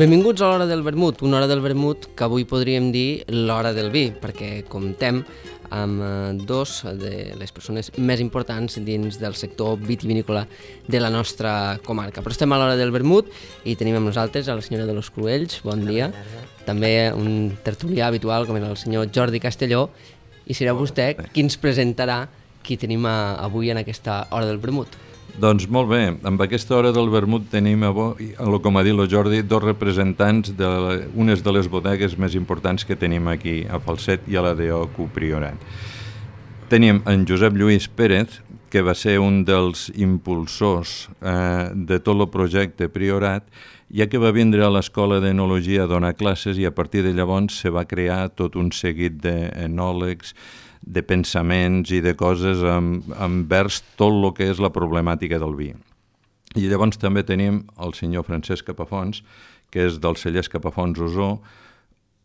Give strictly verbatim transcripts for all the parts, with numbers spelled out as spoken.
Benvinguts a l'Hora del Vermut, una hora del vermut que avui podríem dir l'hora del vi, perquè comptem amb dos de les persones més importants dins del sector vitivinícola de la nostra comarca. Però estem a l'hora del vermut i tenim amb nosaltres a la senyora de los Cruells, bon dia, també un tertulià habitual com era el senyor Jordi Castelló, i serà vostè qui ens presentarà qui tenim avui en aquesta hora del vermut. Doncs molt bé, amb aquesta hora del vermut tenim avui, com ha dit el Jordi, dos representants d'unes de, de les bodegues més importants que tenim aquí a Falset i a la D O Q Priorat. Tenim en Josep Lluís Pérez, que va ser un dels impulsors eh, de tot el projecte Priorat, ja que va vindre a l'Escola d'Enologia a donar classes i a partir de llavors se va crear tot un seguit d'enòlegs, de pensaments i de coses envers tot el que és la problemàtica del vi. I llavors també tenim el senyor Francesc Capafons, que és del celler Capafons Osó,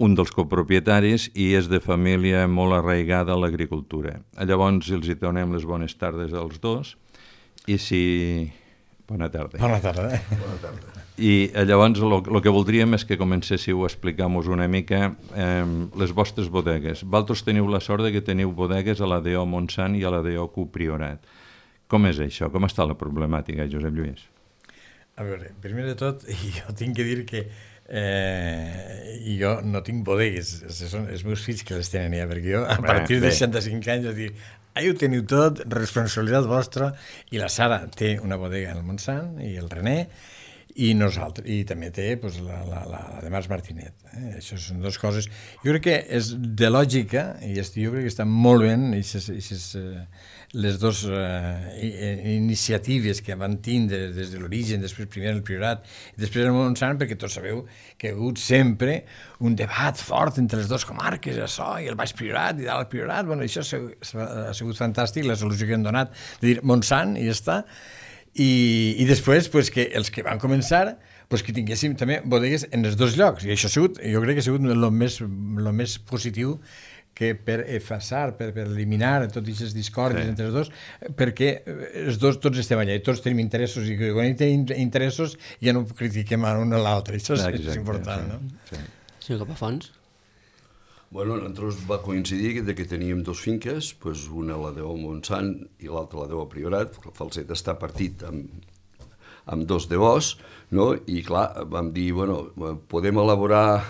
un dels copropietaris i és de família molt arraigada a l'agricultura. Llavors els hi donem les bones tardes als dos i si... Bona tarda. Bona tarda. Bona tarda. I llavors el que voldríem és que comencéssiu a explicar-nos una mica eh, les vostres bodegues. Vosaltres teniu la sort de que teniu bodegues a la D O Montsant i a la D O Q Priorat. Com és això? Com està la problemàtica, Josep Lluís? A veure, primer de tot, jo tinc que dir que eh, jo no tinc bodegues, són els meus fills que les tenen ja, perquè jo a bé, partir de seixanta-cinc anys vaig dir, ahí ho teniu tot, responsabilitat vostra, i la Sara té una bodega en el Montsant i el René, i nosaltres, i també té pues, la, la, la, la de Març Martinet. Eh? Això són dues coses. Jo crec que és de lògica, i jo crec que està molt bé, i ses, i ses, les dues eh, iniciatives que van tindre des de l'origen, després primer el Priorat, i després el Montsant, perquè tots sabeu que hi ha hagut sempre un debat fort entre les dues comarques, això, i el Baix Priorat, i dalt el Priorat. Bueno, això ha sigut, ha sigut fantàstic, la solució que han donat, de dir Montsant, i ja està. I, i després pues, que els que van començar pues, que tinguéssim també bodegues en els dos llocs, i això ha sigut, jo crec que ha sigut el més, el més positiu que per efasar, per, per eliminar tots aquests discòrdies sí. entre els dos, perquè els dos tots estem allà i tots tenim interessos, i quan tenim interessos ja no critiquem a un a l'altre, això és, és important, sí. no? Sí. Senyor Capafons? Bueno, nosaltres va coincidir que, que teníem dos finques, pues una la D O Montsant i l'altra la D O Priorat. El Falset està partit amb, amb dos D Os, no? I clar, vam dir, bueno, podem elaborar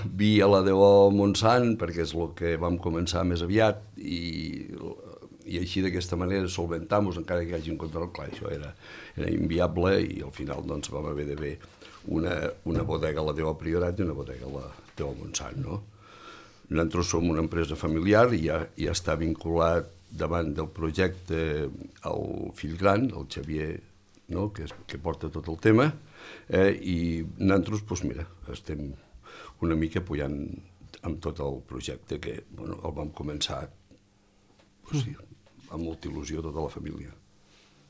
vi a la D O Montsant perquè és el que vam començar més aviat i, i així d'aquesta manera solventar-nos encara que hi hagi un control. Clar, això era, era inviable i al final doncs, vam haver de fer una, una bodega a la D O Priorat i una bodega a la D O Montsant, no? Nosaltres som una empresa familiar i ja, ja està vinculat davant del projecte el fill gran, el Xavier, no? que, és, que porta tot el tema, eh? i nosaltres, doncs mira, estem una mica apoyant amb tot el projecte que bueno, el vam començar doncs, sí, amb molta il·lusió tota la família.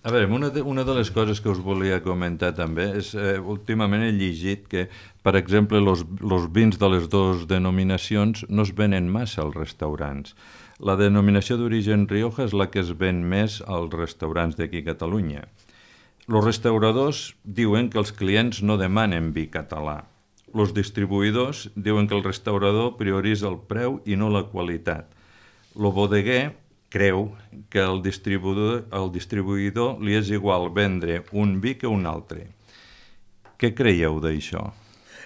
A veure, una de, una de les coses que us volia comentar també és, eh, últimament he llegit que, per exemple, los, los vins de les dues denominacions no es venen massa als restaurants. La denominació d'origen Rioja és la que es ven més als restaurants d'aquí a Catalunya. Els restauradors diuen que els clients no demanen vi català. Els distribuïdors diuen que el restaurador prioritza el preu i no la qualitat. El bodeguer creu que el distribuïdor, el distribuïdor li és igual vendre un vi que un altre. Què creieu d'això?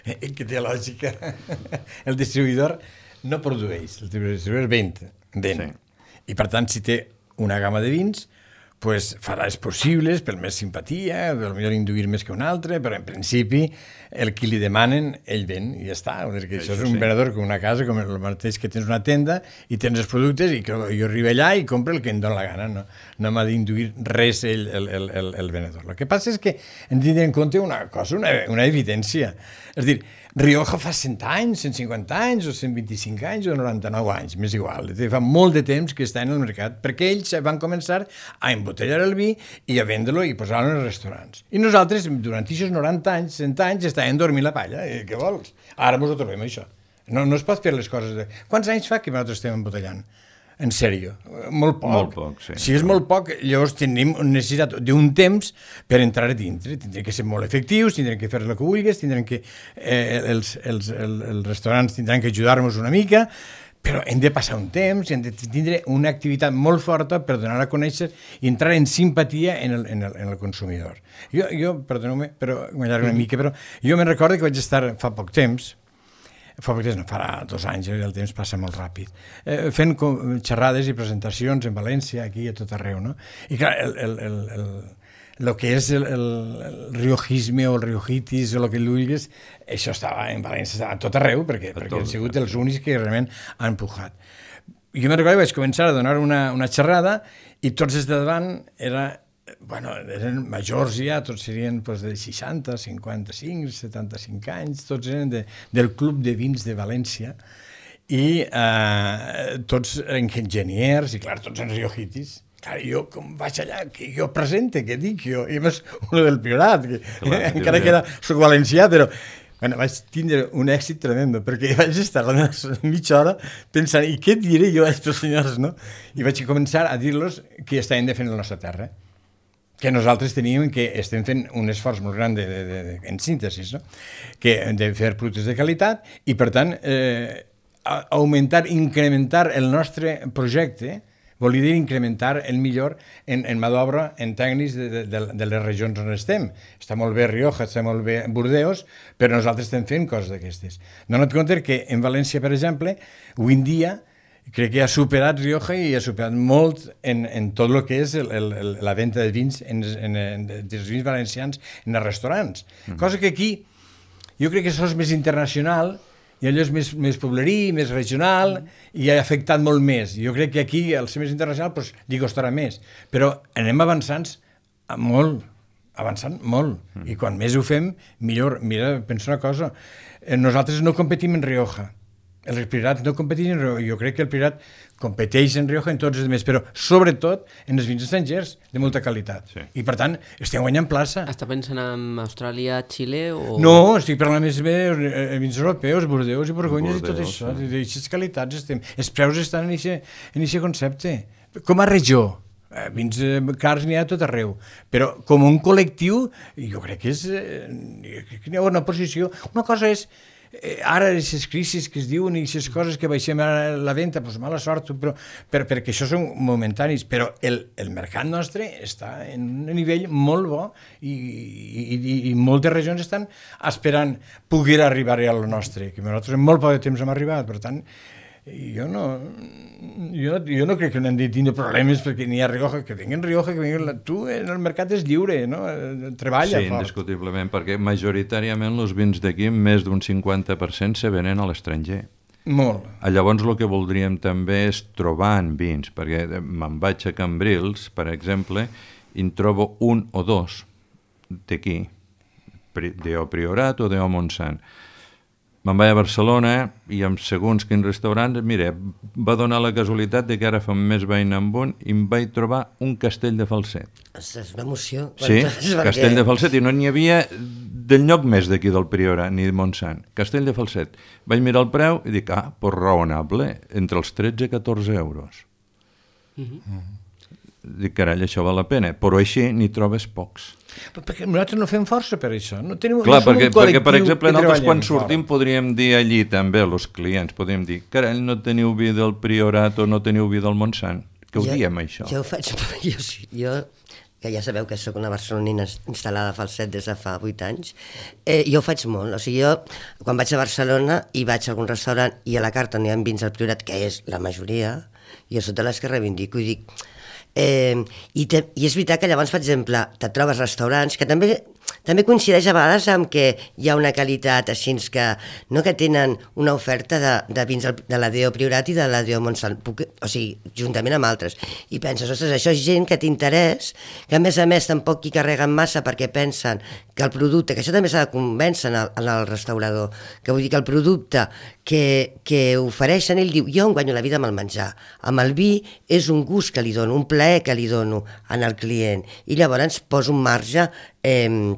Que té lògica. El distribuïdor no produeix, el distribuïdor ven. ven. Sí. I per tant, si té una gamma de vins, pues farà els possibles per més simpatia, potser induir més que un altre, però en principi el que li demanen, ell ven i ja està. Això, això és un sí. venedor com una casa, com el mateix que tens una tenda i tens els productes i que jo arribo allà i compro el que em dóna la gana. No, no m'ha d'induir res el, el, el, el, el venedor. El que passa és que hem de tenir en compte una cosa, una, una evidència. És a dir, Rioja fa cent anys, cent cinquanta anys, o cent vint-i-cinc anys, o noranta-nou anys, m'és igual. Fa molt de temps que està en el mercat, perquè ells van començar a embotellar el vi i a vendre-lo i posar-lo en els restaurants. I nosaltres, durant aquests noranta anys, cent anys, estàvem dormint la palla. Eh, què vols? Ara ens ho trobem, això. No, no es pot fer les coses... De... Quants anys fa que nosaltres estem embotellant? en sèrio? Molt poc. Molt poc, sí. Si és molt poc, llavors tenim necessitat d'un temps per entrar a dintre. Tindrem que ser molt efectius, tindrem que fer el que vulguis, tindrem que, eh, els, els, els, els restaurants tindran que ajudar-nos una mica, però hem de passar un temps i hem de tindre una activitat molt forta per donar a conèixer i entrar en simpatia en el, en el, en el consumidor. Jo, jo perdoneu-me, però m'allargo una mica, però jo me'n recordo que vaig estar fa poc temps, fa poc temps, no, farà dos anys, el temps passa molt ràpid, eh, fent com, xerrades i presentacions en València, aquí i a tot arreu, no? I clar, el, el, el, el, el que és el, el, el riojisme o el riojitis o el que vulguis, això estava en València, estava a tot arreu, perquè, perquè han sigut els únics que realment han empujat. Jo me'n recordo que vaig començar a donar una, una xerrada i tots els de davant era, bueno, eren majors ja, tots serien pues, de seixanta, cinquanta-cinc, setanta-cinc anys, tots eren de, del Club de Vins de València i eh, tots enginyers i clar, tots en riojitis. Clar, jo com vaig allà, que jo presente, què dic jo? I a més, uno del Priorat, que clar, encara que era, soc valencià, però bueno, vaig tindre un èxit tremendo, perquè vaig estar la mitja hora pensant, i què diré jo a aquests senyors, no? I vaig començar a dir-los que estaven defendent la nostra terra, que nosaltres teníem que estem fent un esforç molt gran de, de, de, de, en síntesis, no? Que de fer productes de qualitat i, per tant, eh, augmentar, incrementar el nostre projecte, vol dir incrementar el millor en, en mà d'obra, en tècnics de, de, de, de les regions on estem. Està molt bé Rioja, està molt bé Burdeos, però nosaltres estem fent coses d'aquestes. Dona't compte que en València, per exemple, avui en dia, crec que ha superat Rioja i ha superat molt en, en tot el que és el, el, la venda de vins en, en, en, dels vins valencians en els restaurants. Mm. Cosa que aquí jo crec que això és més internacional i allò és més, més poblerí, més regional i ha afectat molt més. Jo crec que aquí, al ser més internacional, doncs, li costarà més. Però anem avançant molt, avançant molt. Mm. I quan més ho fem, millor. Mira, penso una cosa, nosaltres no competim en Rioja. El Priorat no competeix en Rioja. Jo crec que el Priorat competeix en Rioja en tots els altres, però sobretot en els vins estrangers de molta qualitat. Sí. I per tant, estem guanyant plaça. Està pensant en Austràlia, Xile o...? No, estic parlant més bé de vins europeus, Bordeus i Borgonyes i tot això. Sí. D'aquestes qualitats estem. Els preus estan en aquest concepte. Com a regió. Eh, vins eh, cars n'hi ha a tot arreu, però com un col·lectiu jo crec que és eh, que n'hi ha una posició. Una cosa és Eh, ara aquestes crisis que es diuen i aquestes coses que baixem a la venda, doncs mala sort, però, per, perquè això són momentanis, però el, el mercat nostre està en un nivell molt bo i, i, i, i moltes regions estan esperant poder arribar al nostre, que nosaltres en molt poc de temps hem arribat, per tant jo no, jo, jo no crec que no hem de tindre problemes perquè n'hi ha Rioja, que vinguin Rioja, que vinguin... Tu, el mercat és lliure, no? Treballa sí, fort. indiscutiblement, perquè majoritàriament els vins d'aquí, més d'un cinquanta per cent se venen a l'estranger. Molt. Llavors el que voldríem també és trobar en vins, perquè me'n vaig a Cambrils, per exemple, i en trobo un o dos d'aquí, d'O Priorat o d'O Montsant. Me'n vaig a Barcelona i amb segons quins restaurants, mira, va donar la casualitat de que ara fa un mes vaig anar amb un i em vaig trobar un castell de falset. És una emoció. Sí, castell de falset, i no n'hi havia del lloc més d'aquí del Priorat, ni de Montsant. Castell de falset. Vaig mirar el preu i dic, ah, pues raonable, entre els tretze i catorze euros. Mm-hmm. Dic, carai, això val la pena, però així n'hi trobes pocs. Però perquè nosaltres no fem força per això. No tenim, Clar, no som perquè, un col·lectiu perquè, per exemple, nosaltres quan fora. sortim podríem dir allí també, els clients, podríem dir, carai, no teniu vi del Priorat o no teniu vi del Montsant. Què ho jo, diem, això? Jo ho faig, jo, jo, que ja sabeu que sóc una barcelonina instal·lada a Falset des de fa vuit anys, eh, jo ho faig molt. O sigui, jo, quan vaig a Barcelona i vaig a algun restaurant i a la carta n'hi ha vins al Priorat, que és la majoria, jo soc de les que reivindico i dic... Eh, i, te, I és veritat que llavors, per exemple, te trobes restaurants que també, també coincideix a vegades amb que hi ha una qualitat així que, no, que tenen una oferta de, de vins de la D O Priorat i de la D O Montsant, o sigui, juntament amb altres. I penses, ostres, això és gent que t'interès, que a més a més tampoc hi carreguen massa perquè pensen que el producte, que això també s'ha de convèncer en el, en el restaurador, que vull dir que el producte que, que ofereixen, ell diu, jo em guanyo la vida amb el menjar, amb el vi és un gust que li dono, un plaer que li dono al client, i llavors poso un marge eh,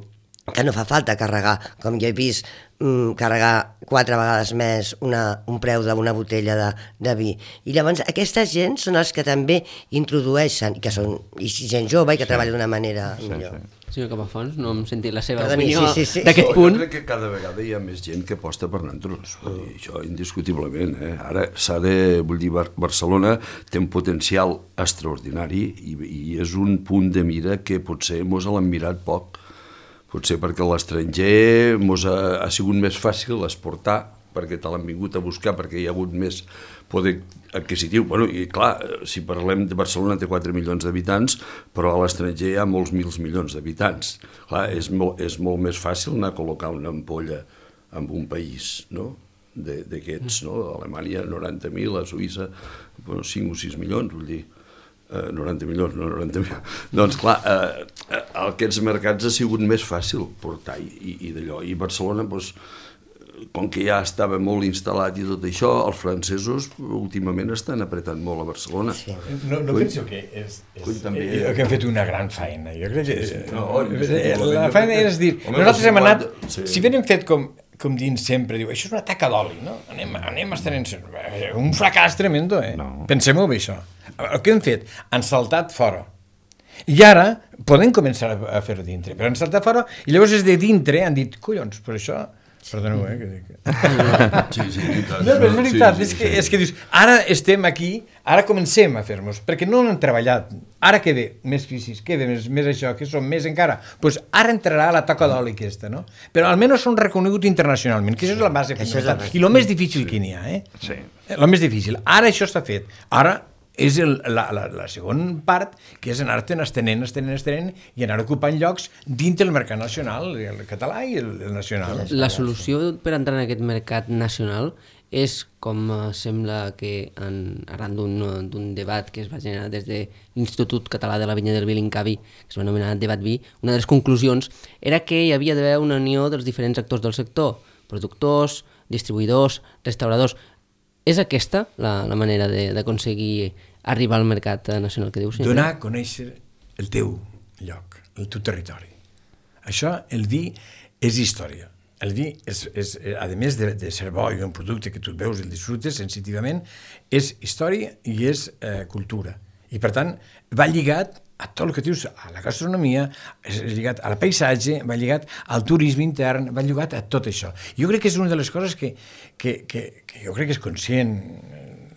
que no fa falta carregar, com jo he vist, mm, carregar quatre vegades més una, un preu d'una botella de, de vi. I llavors aquesta gent són els que també introdueixen, que són i gent jove i que sí. treballa d'una manera sí, millor. Sí. Senyor Capafonts, no hem sentit la seva Perdoni, opinió sí, sí, sí. d'aquest punt. Jo crec que cada vegada hi ha més gent que aposta per nosaltres, mm. això indiscutiblement. Eh? Ara s'ha de, vull dir, Barcelona té un potencial extraordinari i, i és un punt de mira que potser mos l'han mirat poc. Potser perquè l'estranger mos ha, ha sigut més fàcil exportar, perquè te l'han vingut a buscar, perquè hi ha hagut més poder adquisitiu. Bueno, i clar, si parlem de Barcelona té quatre milions d'habitants, però a l'estranger hi ha molts mils milions d'habitants. Clar, és molt, és molt més fàcil anar a col·locar una ampolla en un país, no?, d'aquests, no? A Alemanya noranta mil, a Suïssa bueno, cinc o sis milions, vull dir, eh, noranta milions, no noranta mil. Doncs clar, eh, aquests mercats ha sigut més fàcil portar i, i d'allò. I Barcelona, doncs, com que ja estava molt instal·lat i tot això, els francesos últimament estan apretant molt a Barcelona. Sí. No, no penso que és, és també, eh, que han fet una gran feina. Jo crec que sí, sí. No, la feina és dir, home, nosaltres hem anat, sí. Si ben hem fet com, com dins sempre, diu, això és una taca d'oli, no? Anem, anem estenent, un fracàs tremendo, eh? No. Pensem-ho bé, això. El que hem fet, han saltat fora. I ara podem començar a fer-ho dintre, però han saltat fora i llavors és de dintre, han dit, collons, però això... Perdoneu, eh, que dic... Sí, sí, no, però és veritat, sí, sí, és, que, sí. és que dius, ara estem aquí, ara comencem a fer-nos, perquè no han treballat, ara què ve? Més crisis, què ve? Més, més això, què som? Més encara? Doncs pues ara entrarà la toca d'oli aquesta, no? Però almenys són reconeguts internacionalment, que això és la base fonamental, i el més difícil sí. que n'hi ha, eh? Sí. El més difícil. Ara això està fet. Ara és el, la, la, la segona part, que és anar-te'n estenent, estenent, estenent, i anar ocupant llocs dintre del mercat nacional, el català i el, el nacional. La solució per entrar en aquest mercat nacional és, com sembla que en, arran d'un debat que es va generar des de l'Institut Català de la Vinya del Vi, l'INCAVI, que es va anomenar Debat Vi, una de les conclusions era que hi havia d'haver una unió dels diferents actors del sector, productors, distribuïdors, restauradors. És aquesta la, la manera d'aconseguir arribar al mercat nacional que dius? Sí, donar a conèixer el teu lloc, el teu territori. Això, el vi, és història. El vi, és, és, a més de, de ser bo i un producte que tu el veus i el disfrutes sensitivament, és història i és eh, cultura. I per tant, va lligat a tot el que dius, a la gastronomia, és lligat al paisatge, va lligat al turisme intern, va lligat a tot això. Jo crec que és una de les coses que, que, que, que jo crec que és conscient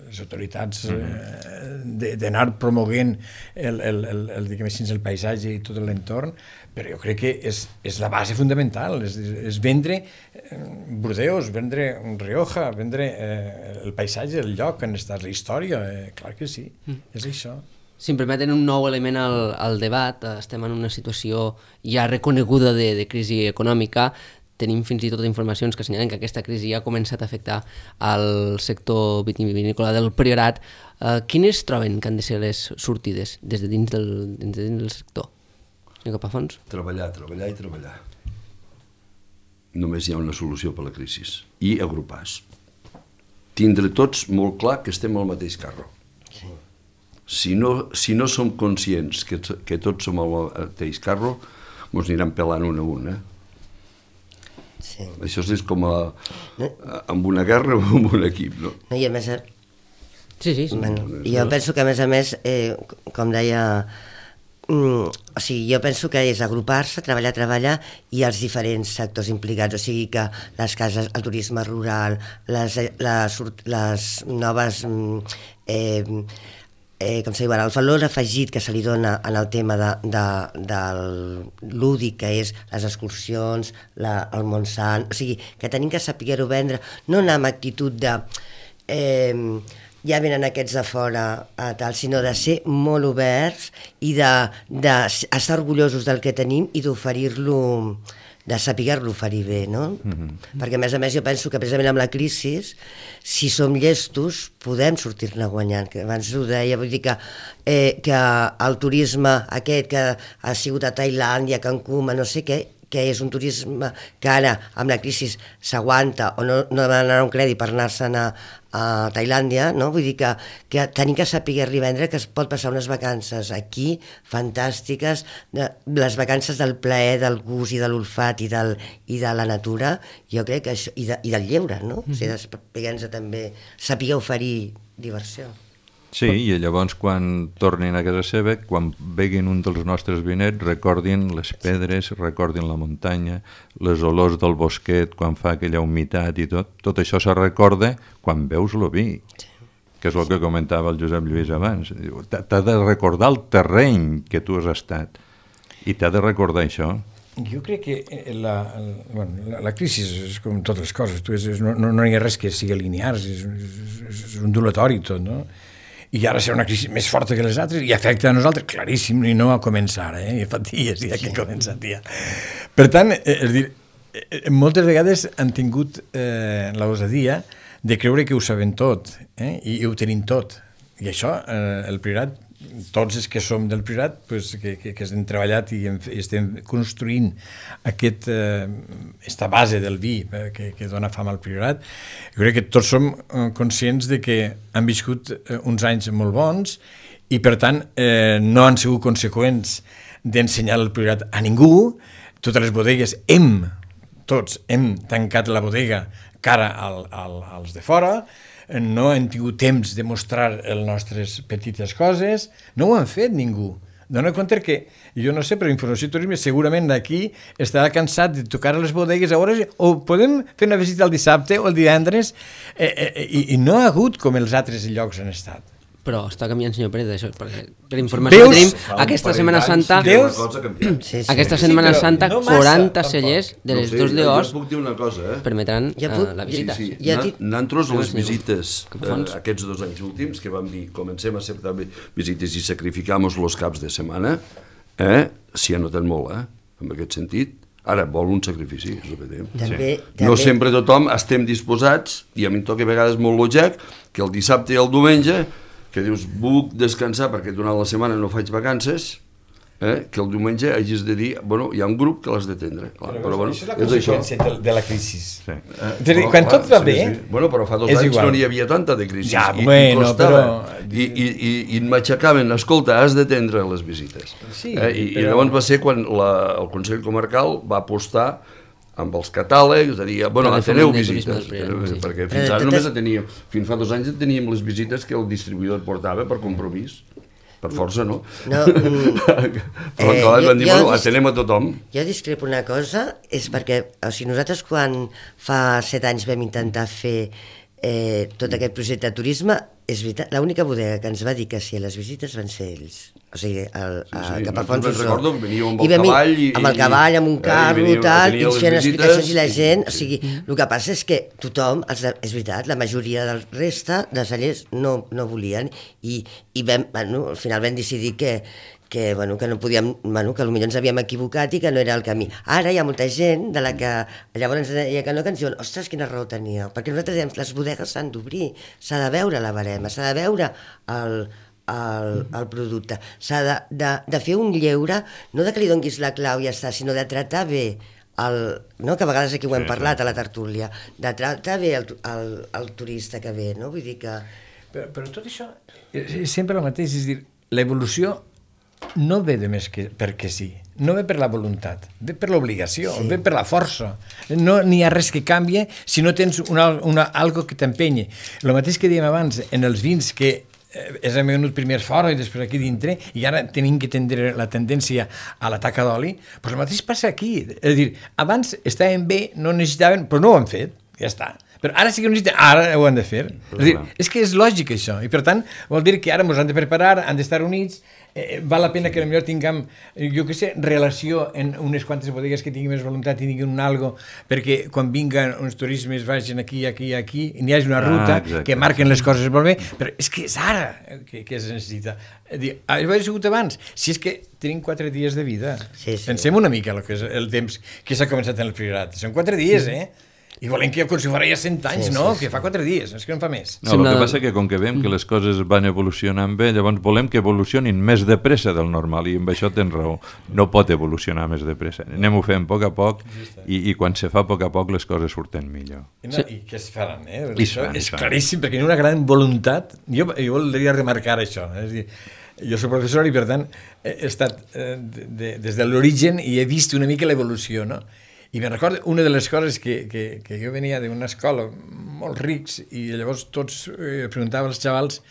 les autoritats eh, d'anar promoguent el, el, el, el, diguem així, el paisatge i tot l'entorn, però jo crec que és, és la base fundamental, és, és vendre eh, Burdeos, vendre Rioja, vendre eh, el paisatge, el lloc on està la història, eh, clar que sí, mm. és això. Si em permeten un nou element al, al debat, estem en una situació ja reconeguda de, de crisi econòmica, tenim fins i tot informacions que assenyalen que aquesta crisi ja ha començat a afectar al sector vitivinícola del Priorat. Eh, quines troben que han de ser les sortides des de dins del, dins de dins del sector? Senyor Capafonts? Treballar, treballar i treballar. Només hi ha una solució per la crisi, i agrupar-se. Tindre tots molt clar que estem al mateix carro. Sí. Si no, si no som conscients que, que tots som al mateix carro, ens aniran pelant un a un, eh? Sí. Això és com a, a, amb una guerra o amb un equip, no? No, i a més... Sí, sí, sí. Bueno, jo penso que, a més a més, eh, com deia... Mm, o sigui, jo penso que és agrupar-se, treballar, treballar, i els diferents sectors implicats, o sigui que les cases, el turisme rural, les, les, les noves... Eh, Eh, com se diu ara, el valor afegit que se li dona en el tema de, de, del lúdic, que és les excursions, la, el Montsant, o sigui, que tenim que saber-ho vendre, no anar amb actitud de eh, ja venen aquests de fora a tal, sinó de ser molt oberts i d'estar orgullosos del que tenim i d'oferir-lo, de saber-lo oferir bé, no? Mm-hmm. Perquè, a més a més, jo penso que precisament amb la crisi, si som llestos, podem sortir-ne guanyant. Que abans ho deia, vull dir que, eh, que el turisme aquest que ha sigut a Tailàndia, Cancún, no sé què, que és un turisme que ara, amb la crisi, s'aguanta o no, no demanar un crèdit per anar-se'n a, a Tailàndia, no? Vull dir que, que tenim que saber vendre que es pot passar unes vacances aquí fantàstiques, de, les vacances del plaer, del gust i de l'olfat i, del, i de la natura, jo crec que això, i, de, i del lleure, no? Mm-hmm. O sigui, saber també saber oferir diversió. Sí, i llavors quan tornin a casa seva, quan veguin un dels nostres vinets, recordin les pedres, recordin la muntanya, les olors del bosquet, quan fa aquella humitat i tot, tot això se recorda quan veus el vi, que és el que comentava el Josep Lluís abans. T'ha de recordar el terreny que tu has estat i t'ha de recordar això. Jo crec que la, la, bueno, la, la crisi és com totes les coses, tu és, és, no, no hi ha res que sigui linear, és, és, és ondulatori tot, no? I ara serà una crisi més forta que les altres i afecta a nosaltres, claríssim, i no a començar, eh? I fa dies ja que ha començat ja. Per tant, eh, és dir, eh, moltes vegades han tingut eh, l'osadia de creure que ho saben tot, eh? I, i ho tenim tot. I això, eh, el Priorat, tots els que som del Priorat, pues, que, que, que hem treballat i, hem, i estem construint aquest, eh, esta base del vi eh, que, que dona fam al Priorat, jo crec que tots som eh, conscients de que han viscut eh, uns anys molt bons i per tant eh, no han sigut conseqüents d'ensenyar el Priorat a ningú. Totes les bodegues hem, tots hem tancat la bodega cara al, al, als de fora, no hem tingut temps de mostrar les nostres petites coses, no ho han fet ningú. Dóna compte que, jo no sé, però Informació i Turisme segurament d'aquí estarà cansat de tocar a les bodegues a hores, o podem fer una visita el dissabte o el divendres, eh, eh, i, i no ha hagut com els altres llocs han estat. Però està canviant, senyor Pérez, això, perquè per informació que tenim, aquesta Setmana Santa, Deus? sí, sí. aquesta Setmana sí, Santa, no massa, quaranta tampoc. Cellers de les no sé, dos de Os puc dir una cosa, eh? permetran ja uh, la visita. Sí, sí. Ja Nosaltres les visites eh, aquests dos anys últims, que vam dir, comencem a acceptar visites i sacrificamos los caps de setmana, eh? s'hi ha notat molt, eh? en aquest sentit. Ara, vol un sacrifici, és el que dèiem. També, sí. també. No sempre tothom estem disposats, i a mi em toca a vegades molt lògic, que el dissabte i el diumenge que dius, puc descansar perquè durant la setmana no faig vacances, eh, que el diumenge hagis de dir, bueno, hi ha un grup que l'has d'atendre. Però, però bueno, això és la conseqüència de, de la crisi. Sí. Eh, però, quan clar, tot va sí, bé... Sí. Bueno, però fa dos anys igual. No n'hi havia tanta de crisi. Ja, I, bueno, i costava. però... I, i, i, i m'aixecaven, escolta, has d'atendre les visites. Sí, eh, i, però... I llavors va ser quan la, el Consell Comarcal va apostar amb els catàlegs, a dir, bueno, ateneu visites, sí. perquè fins ara només teníem, fins fa dos anys teníem les visites que el distribuïdor et portava per compromís, per força, no? No, mm, però eh, clar, van dir, bueno, atenem a tothom. Jo discrepo una cosa, és perquè, o sigui, nosaltres quan fa set anys vam intentar fer eh, tot aquest projecte de turisme, és veritat, l'única bodega que ens va dir que sí a les visites van ser ells. O sigui, el, sí, sí, cap a Fons Ussó. Recordo que veníeu amb el cavall i... Amb el cavall, amb un carro, i tal, i feien explicacions i la gent... O sigui, el que passa és que tothom, els, és veritat, la majoria del resta de cellers no, no volien i, i vam, bueno, al final vam decidir que, que, bueno, que no podíem, bueno, que potser ens havíem equivocat i que no era el camí. Ara hi ha molta gent de la que llavors ens deia que no, que ens diuen, ostres, quina raó teníeu, perquè nosaltres dèiem, les bodegues s'han d'obrir, s'ha de veure la barema, s'ha de veure el, el, el producte, s'ha de, de, de fer un lleure, no de que li donguis la clau i ja està, sinó de tractar bé el, no? Que a vegades aquí ho hem parlat a la tertúlia, de tractar bé el, el, el turista que ve, no? Vull dir que... Però, però tot això és sempre el mateix, és dir, l'evolució no ve de més que perquè sí, no ve per la voluntat, ve per l'obligació, sí. Ve per la força. No n'hi ha res que canvie si no tens una, una, algo que t'empenye. El mateix que dèiem abans, en els vins que eh, és hem venut primer fora i després aquí dintre, i ara tenim que tindre la tendència a la taca d'oli, doncs el mateix passa aquí. És a dir, abans estaven bé, no necessitaven, però no ho han fet, ja està. Però ara sí que necessiten, ara ho han de fer. És, dir, és que és lògic això, i per tant vol dir que ara ens han de preparar, han d'estar units, eh, val la pena que potser tinguem, jo què sé, relació en unes quantes bodegues que tinguin més voluntat i tinguin un algo, perquè quan vinguen uns turismes vagin aquí, aquí, aquí, i n'hi hagi una ruta ah, que marquen les coses molt bé, però és que és ara que, que es necessita. Dir, això ho he sigut abans, si és que tenim quatre dies de vida. Sí, sí. Pensem una mica el que és el temps que s'ha començat en el Priorat. Són quatre dies, eh? I volem que com si fora ja cent anys, Sí, no? sí, Que fa quatre dies, és que no fa més. No, el que passa que com que veiem que les coses van evolucionant bé, llavors volem que evolucionin més de pressa del normal, i amb això tens raó. No pot evolucionar més de pressa. Anem-ho fent a poc a poc, i, i quan se fa a poc a poc les coses surten millor. I, no, i què es faran, eh? I Això fan, és fan. claríssim, perquè hi ha una gran voluntat. Jo, jo voldria remarcar això. Eh? És a dir, jo soc professor i, per tant, he estat eh, de, de, des de l'origen i he vist una mica l'evolució, no? I me'n recordo una de les coses que, que, que jo venia d'una escola molt rics i llavors tots eh, preguntaven als xavals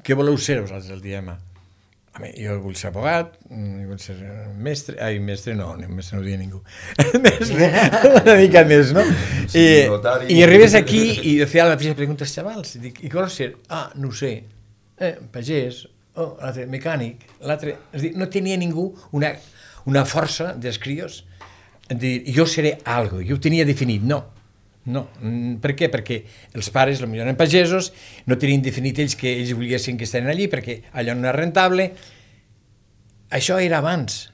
què voleu ser vosaltres el dia demà? Home, jo vull ser abogat, jo vull ser mestre, ai, mestre no, mestre no ho dia ningú, mestre, una mica més, no? I, i arribes aquí i feia la mateixa pregunta als xavals, i dic, i què vols ser? Ah, no ho sé, eh, pagès, oh, l'altre mecànic, l'altre, és a dir, no tenia ningú una, una força dels crios dir, jo seré algo, jo ho tenia definit, no, no, per què? Perquè els pares potser eren pagesos, no tenien definit ells que ells volguessin que estiguin allí, perquè allò no era rentable, això era abans,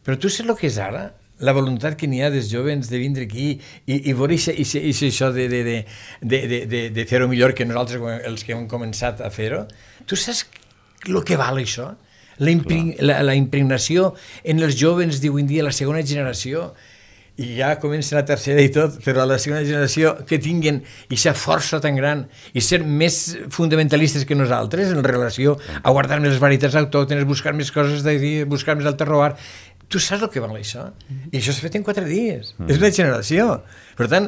però tu saps el que és ara? La voluntat que n'hi ha dels jovens de vindre aquí i, i veure això de, de, de, de, de, de, de fer-ho millor que nosaltres, els que hem començat a fer-ho, tu saps el que val això? La, impregn la, la impregnació en els jovens d'avui en dia, la segona generació, i ja comença la tercera i tot, però la segona generació que tinguin aquesta força tan gran i ser més fundamentalistes que nosaltres en relació a guardar més les varietats autòctones, buscar més coses d'aquí, buscar més el terroir. Tu saps el que val això? I això s'ha fet en quatre dies. Mm. És una generació. Per tant,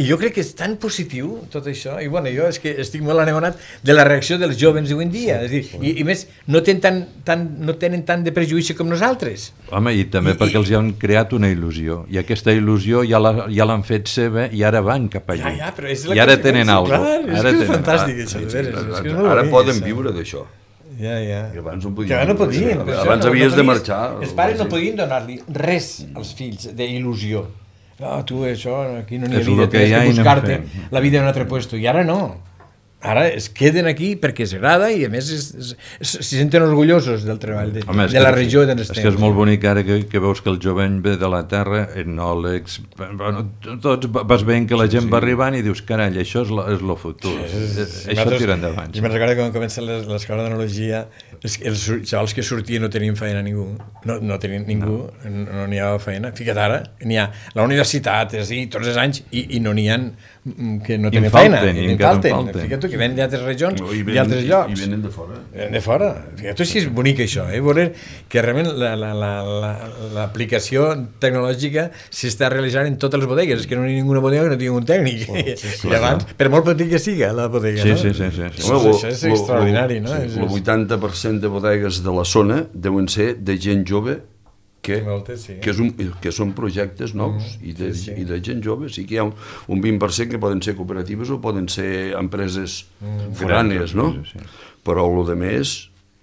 jo crec que és tan positiu tot això, i bueno, jo és que estic molt anegonat de la reacció dels jovens d'avui en dia. Sí, és dir, sí. I, i més, no tenen, tan, tan, no tenen tant de prejudici com nosaltres. Home, i també I, perquè els hi han creat una il·lusió, i aquesta il·lusió ja l'han ja fet seva i ara van cap allà. Ja, ja, però és la I ara tenen alguna cosa. Clar, és ara que és tenen, fantàstic, ah, això. sí, Sí, sí, sí, sí, és que és Ara, ara bonic, poden això. viure d'això. Ja, ja. Que abans no podien. Que abans no podien. Sí, Per abans això havies no de podies- marxar. Els pares no podien donar-li res als fills d'il·lusió. Ah, tu, això, aquí no n'hi ha És vida, lo que tens hi ha que i anem buscar-te fent. la vida en un altre puesto. I ara no. Ara es queden aquí perquè els agrada i a més es, es, es, se senten orgullosos del treball de, Home, de la regió d'on és estem. que és molt bonic ara que, que veus que el jovent ve de la terra, etnòlegs, bueno, tots vas veient que la gent sí, sí. va arribant i dius, carai, això és lo, és lo futur, sí, sí, sí. això tira endavant. Jo me'n recordo quan comença l'escola d'enologia, els xavals que sortien no tenien feina ningú, no, no tenien ningú, no n'hi no havia feina. Fica't ara, n'hi ha la universitat, és a dir, tots els anys, i, i no n'hi ha que no tenen feina, i en falten. Fica't tu, que venen d'altres regions no, i, ven, i altres llocs. I venen de fora. Venen de fora. Fica't tu si és bonic això, eh? Veure que realment l'aplicació la, la, la, tecnològica s'està realitzant en totes les bodegues. És que no hi ha ninguna bodega que no tingui un tècnic. Oh, sí, sí, I abans, per molt petit que siga la bodega, sí, no? Sí, sí, sí. sí. Això, això és extraordinari, no? Sí, el vuitanta per cent de bodegues de la zona deuen ser de gent jove que, Moltes, sí. que, és un, que són projectes nous mm, i, de, sí, sí. i de gent jove. Sí que hi ha un, un vint per cent que poden ser cooperatives o poden ser empreses mm, foranes, no? Sí, sí. Però el de més,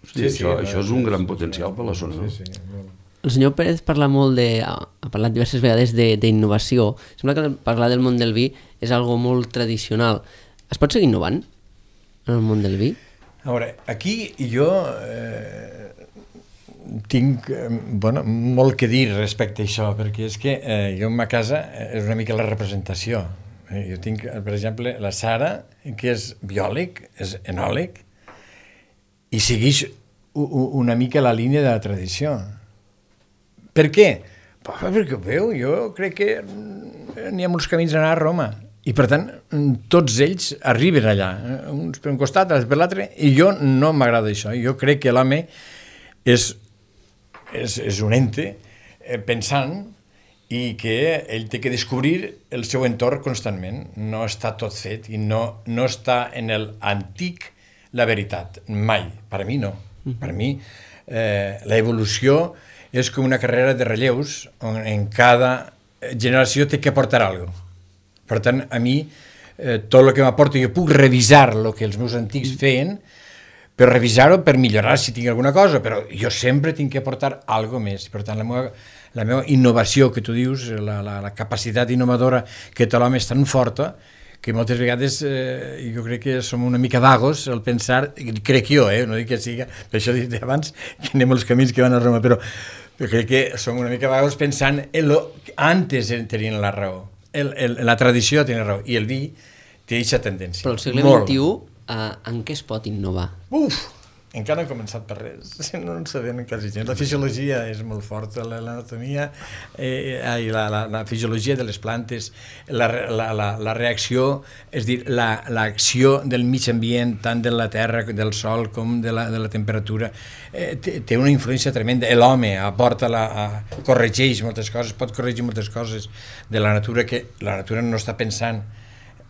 hosti, sí, sí, això, sí, això és un gran sí, potencial sí, per la zona. Sí, sí, no? El senyor Pérez parla molt de, ha parlat diverses vegades d'innovació. Sembla que parlar del món del vi és algo molt tradicional. Es pot seguir innovant en el món del vi? A veure, aquí jo eh, tinc eh, bueno, molt que dir respecte a això, perquè és que eh, jo en ma casa és una mica la representació. Eh, jo tinc, per exemple, la Sara, que és biòleg, és enòleg, i segueix una mica la línia de la tradició. Per què? Perquè ho veu, jo crec que n'hi ha molts camins a anar a Roma, i per tant tots ells arriben allà, uns per un costat, altres per l'altre, i jo no m'agrada això. Jo crec que l'home és, és, és un ente eh, pensant i que ell té que descobrir el seu entorn constantment. No està tot fet i no, no està en l'antic la veritat, mai. Per a mi no. Per a mi eh, l'evolució és com una carrera de relleus on en cada generació té que aportar alguna cosa. Per tant, a mi, eh, tot el que m'aporta, jo puc revisar el que els meus antics feien, per revisar-ho, per millorar si tinc alguna cosa, però jo sempre tinc que aportar alguna més. Per tant, la meva, la meva innovació, que tu dius, la, la, la capacitat innovadora que té l'home és tan forta, que moltes vegades eh, jo crec que som una mica vagos al pensar, crec jo, eh, no dic que siga, per això he dit abans que anem els camins que van a Roma, però crec que som una mica vagos pensant en lo que antes tenien la raó. el, el, la tradició té raó, i el vi té aquesta tendència. Però al segle Molt. vint i u, eh, en què es pot innovar? Uf! Encara no he començat per res, no en sabem quasi gens. La fisiologia és molt forta, l'anatomia, eh, la, la, la fisiologia de les plantes, la, la, la, la reacció, és dir, l'acció la, del mig ambient, tant de la terra, del sol, com de la, de la temperatura, eh, té, té una influència tremenda. L'home aporta, la, a, corregeix moltes coses, pot corregir moltes coses de la natura, que la natura no està pensant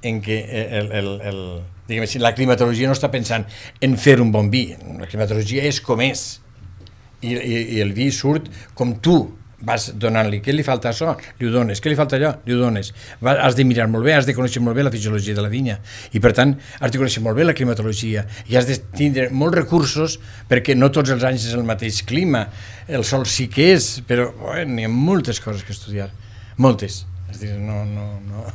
en que el, el, el, diguem així, la climatologia no està pensant en fer un bon vi, la climatologia és com és, i, i, i el vi surt com tu vas donant-li, què li falta això? Li ho dones, què li falta allò? Li ho dones. Va, has de mirar molt bé, has de conèixer molt bé la fisiologia de la vinya, i per tant has de conèixer molt bé la climatologia, i has de tindre molts recursos, perquè no tots els anys és el mateix clima, el sol sí que és, però bueno, n'hi ha moltes coses que estudiar, moltes, és dir, no... no, no.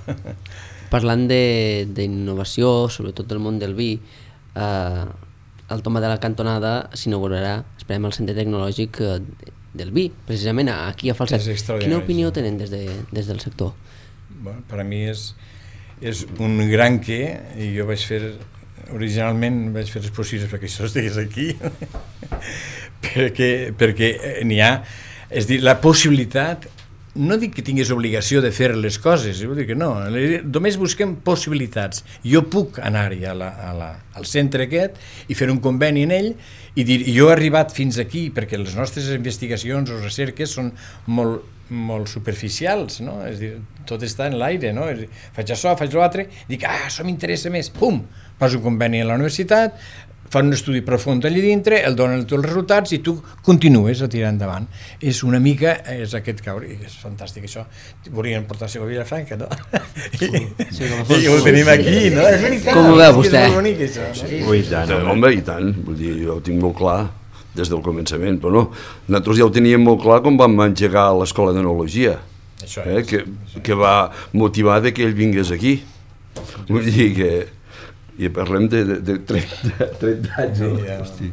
Parlant d'innovació, sobretot del món del vi, eh, al Tomba de la Cantonada s'inaugurarà, esperem, el centre tecnològic eh, del vi, precisament aquí a Falset. Quina opinió tenen des, de, des del sector? Bueno, per a mi és, és un gran què, i jo vaig fer, originalment vaig fer les possibles perquè això estigués aquí, perquè, perquè n'hi ha, és dir, la possibilitat, no dic que tinguis obligació de fer les coses, vull dir que no, només busquem possibilitats. Jo puc anar-hi a la, a la, al centre aquest i fer un conveni en ell i dir, jo he arribat fins aquí perquè les nostres investigacions o recerques són molt, molt superficials, no? És dir, tot està en l'aire, no? És dir, faig això, faig l'altre, dic, ah, això m'interessa més, pum, fas un conveni a la universitat, fan un estudi profund allà dintre, el donen els resultats i tu continues a tirar endavant. És una mica, és aquest caure, és fantàstic això. Volien portar-se a Vilafranca, no? Sí, sí, I ho tenim aquí, no? És veritat, com ho veu vostè? És molt bonic això, no? Sí, i tant, home. Home, i tant, vull dir, jo ho tinc molt clar des del començament, però no, nosaltres ja ho teníem molt clar quan vam engegar a l'Escola d'Enologia, eh, que, que va motivar que ell vingués aquí. Vull dir que i parlem de, de, de trenta, trenta anys, no? Sí, ja. Hosti,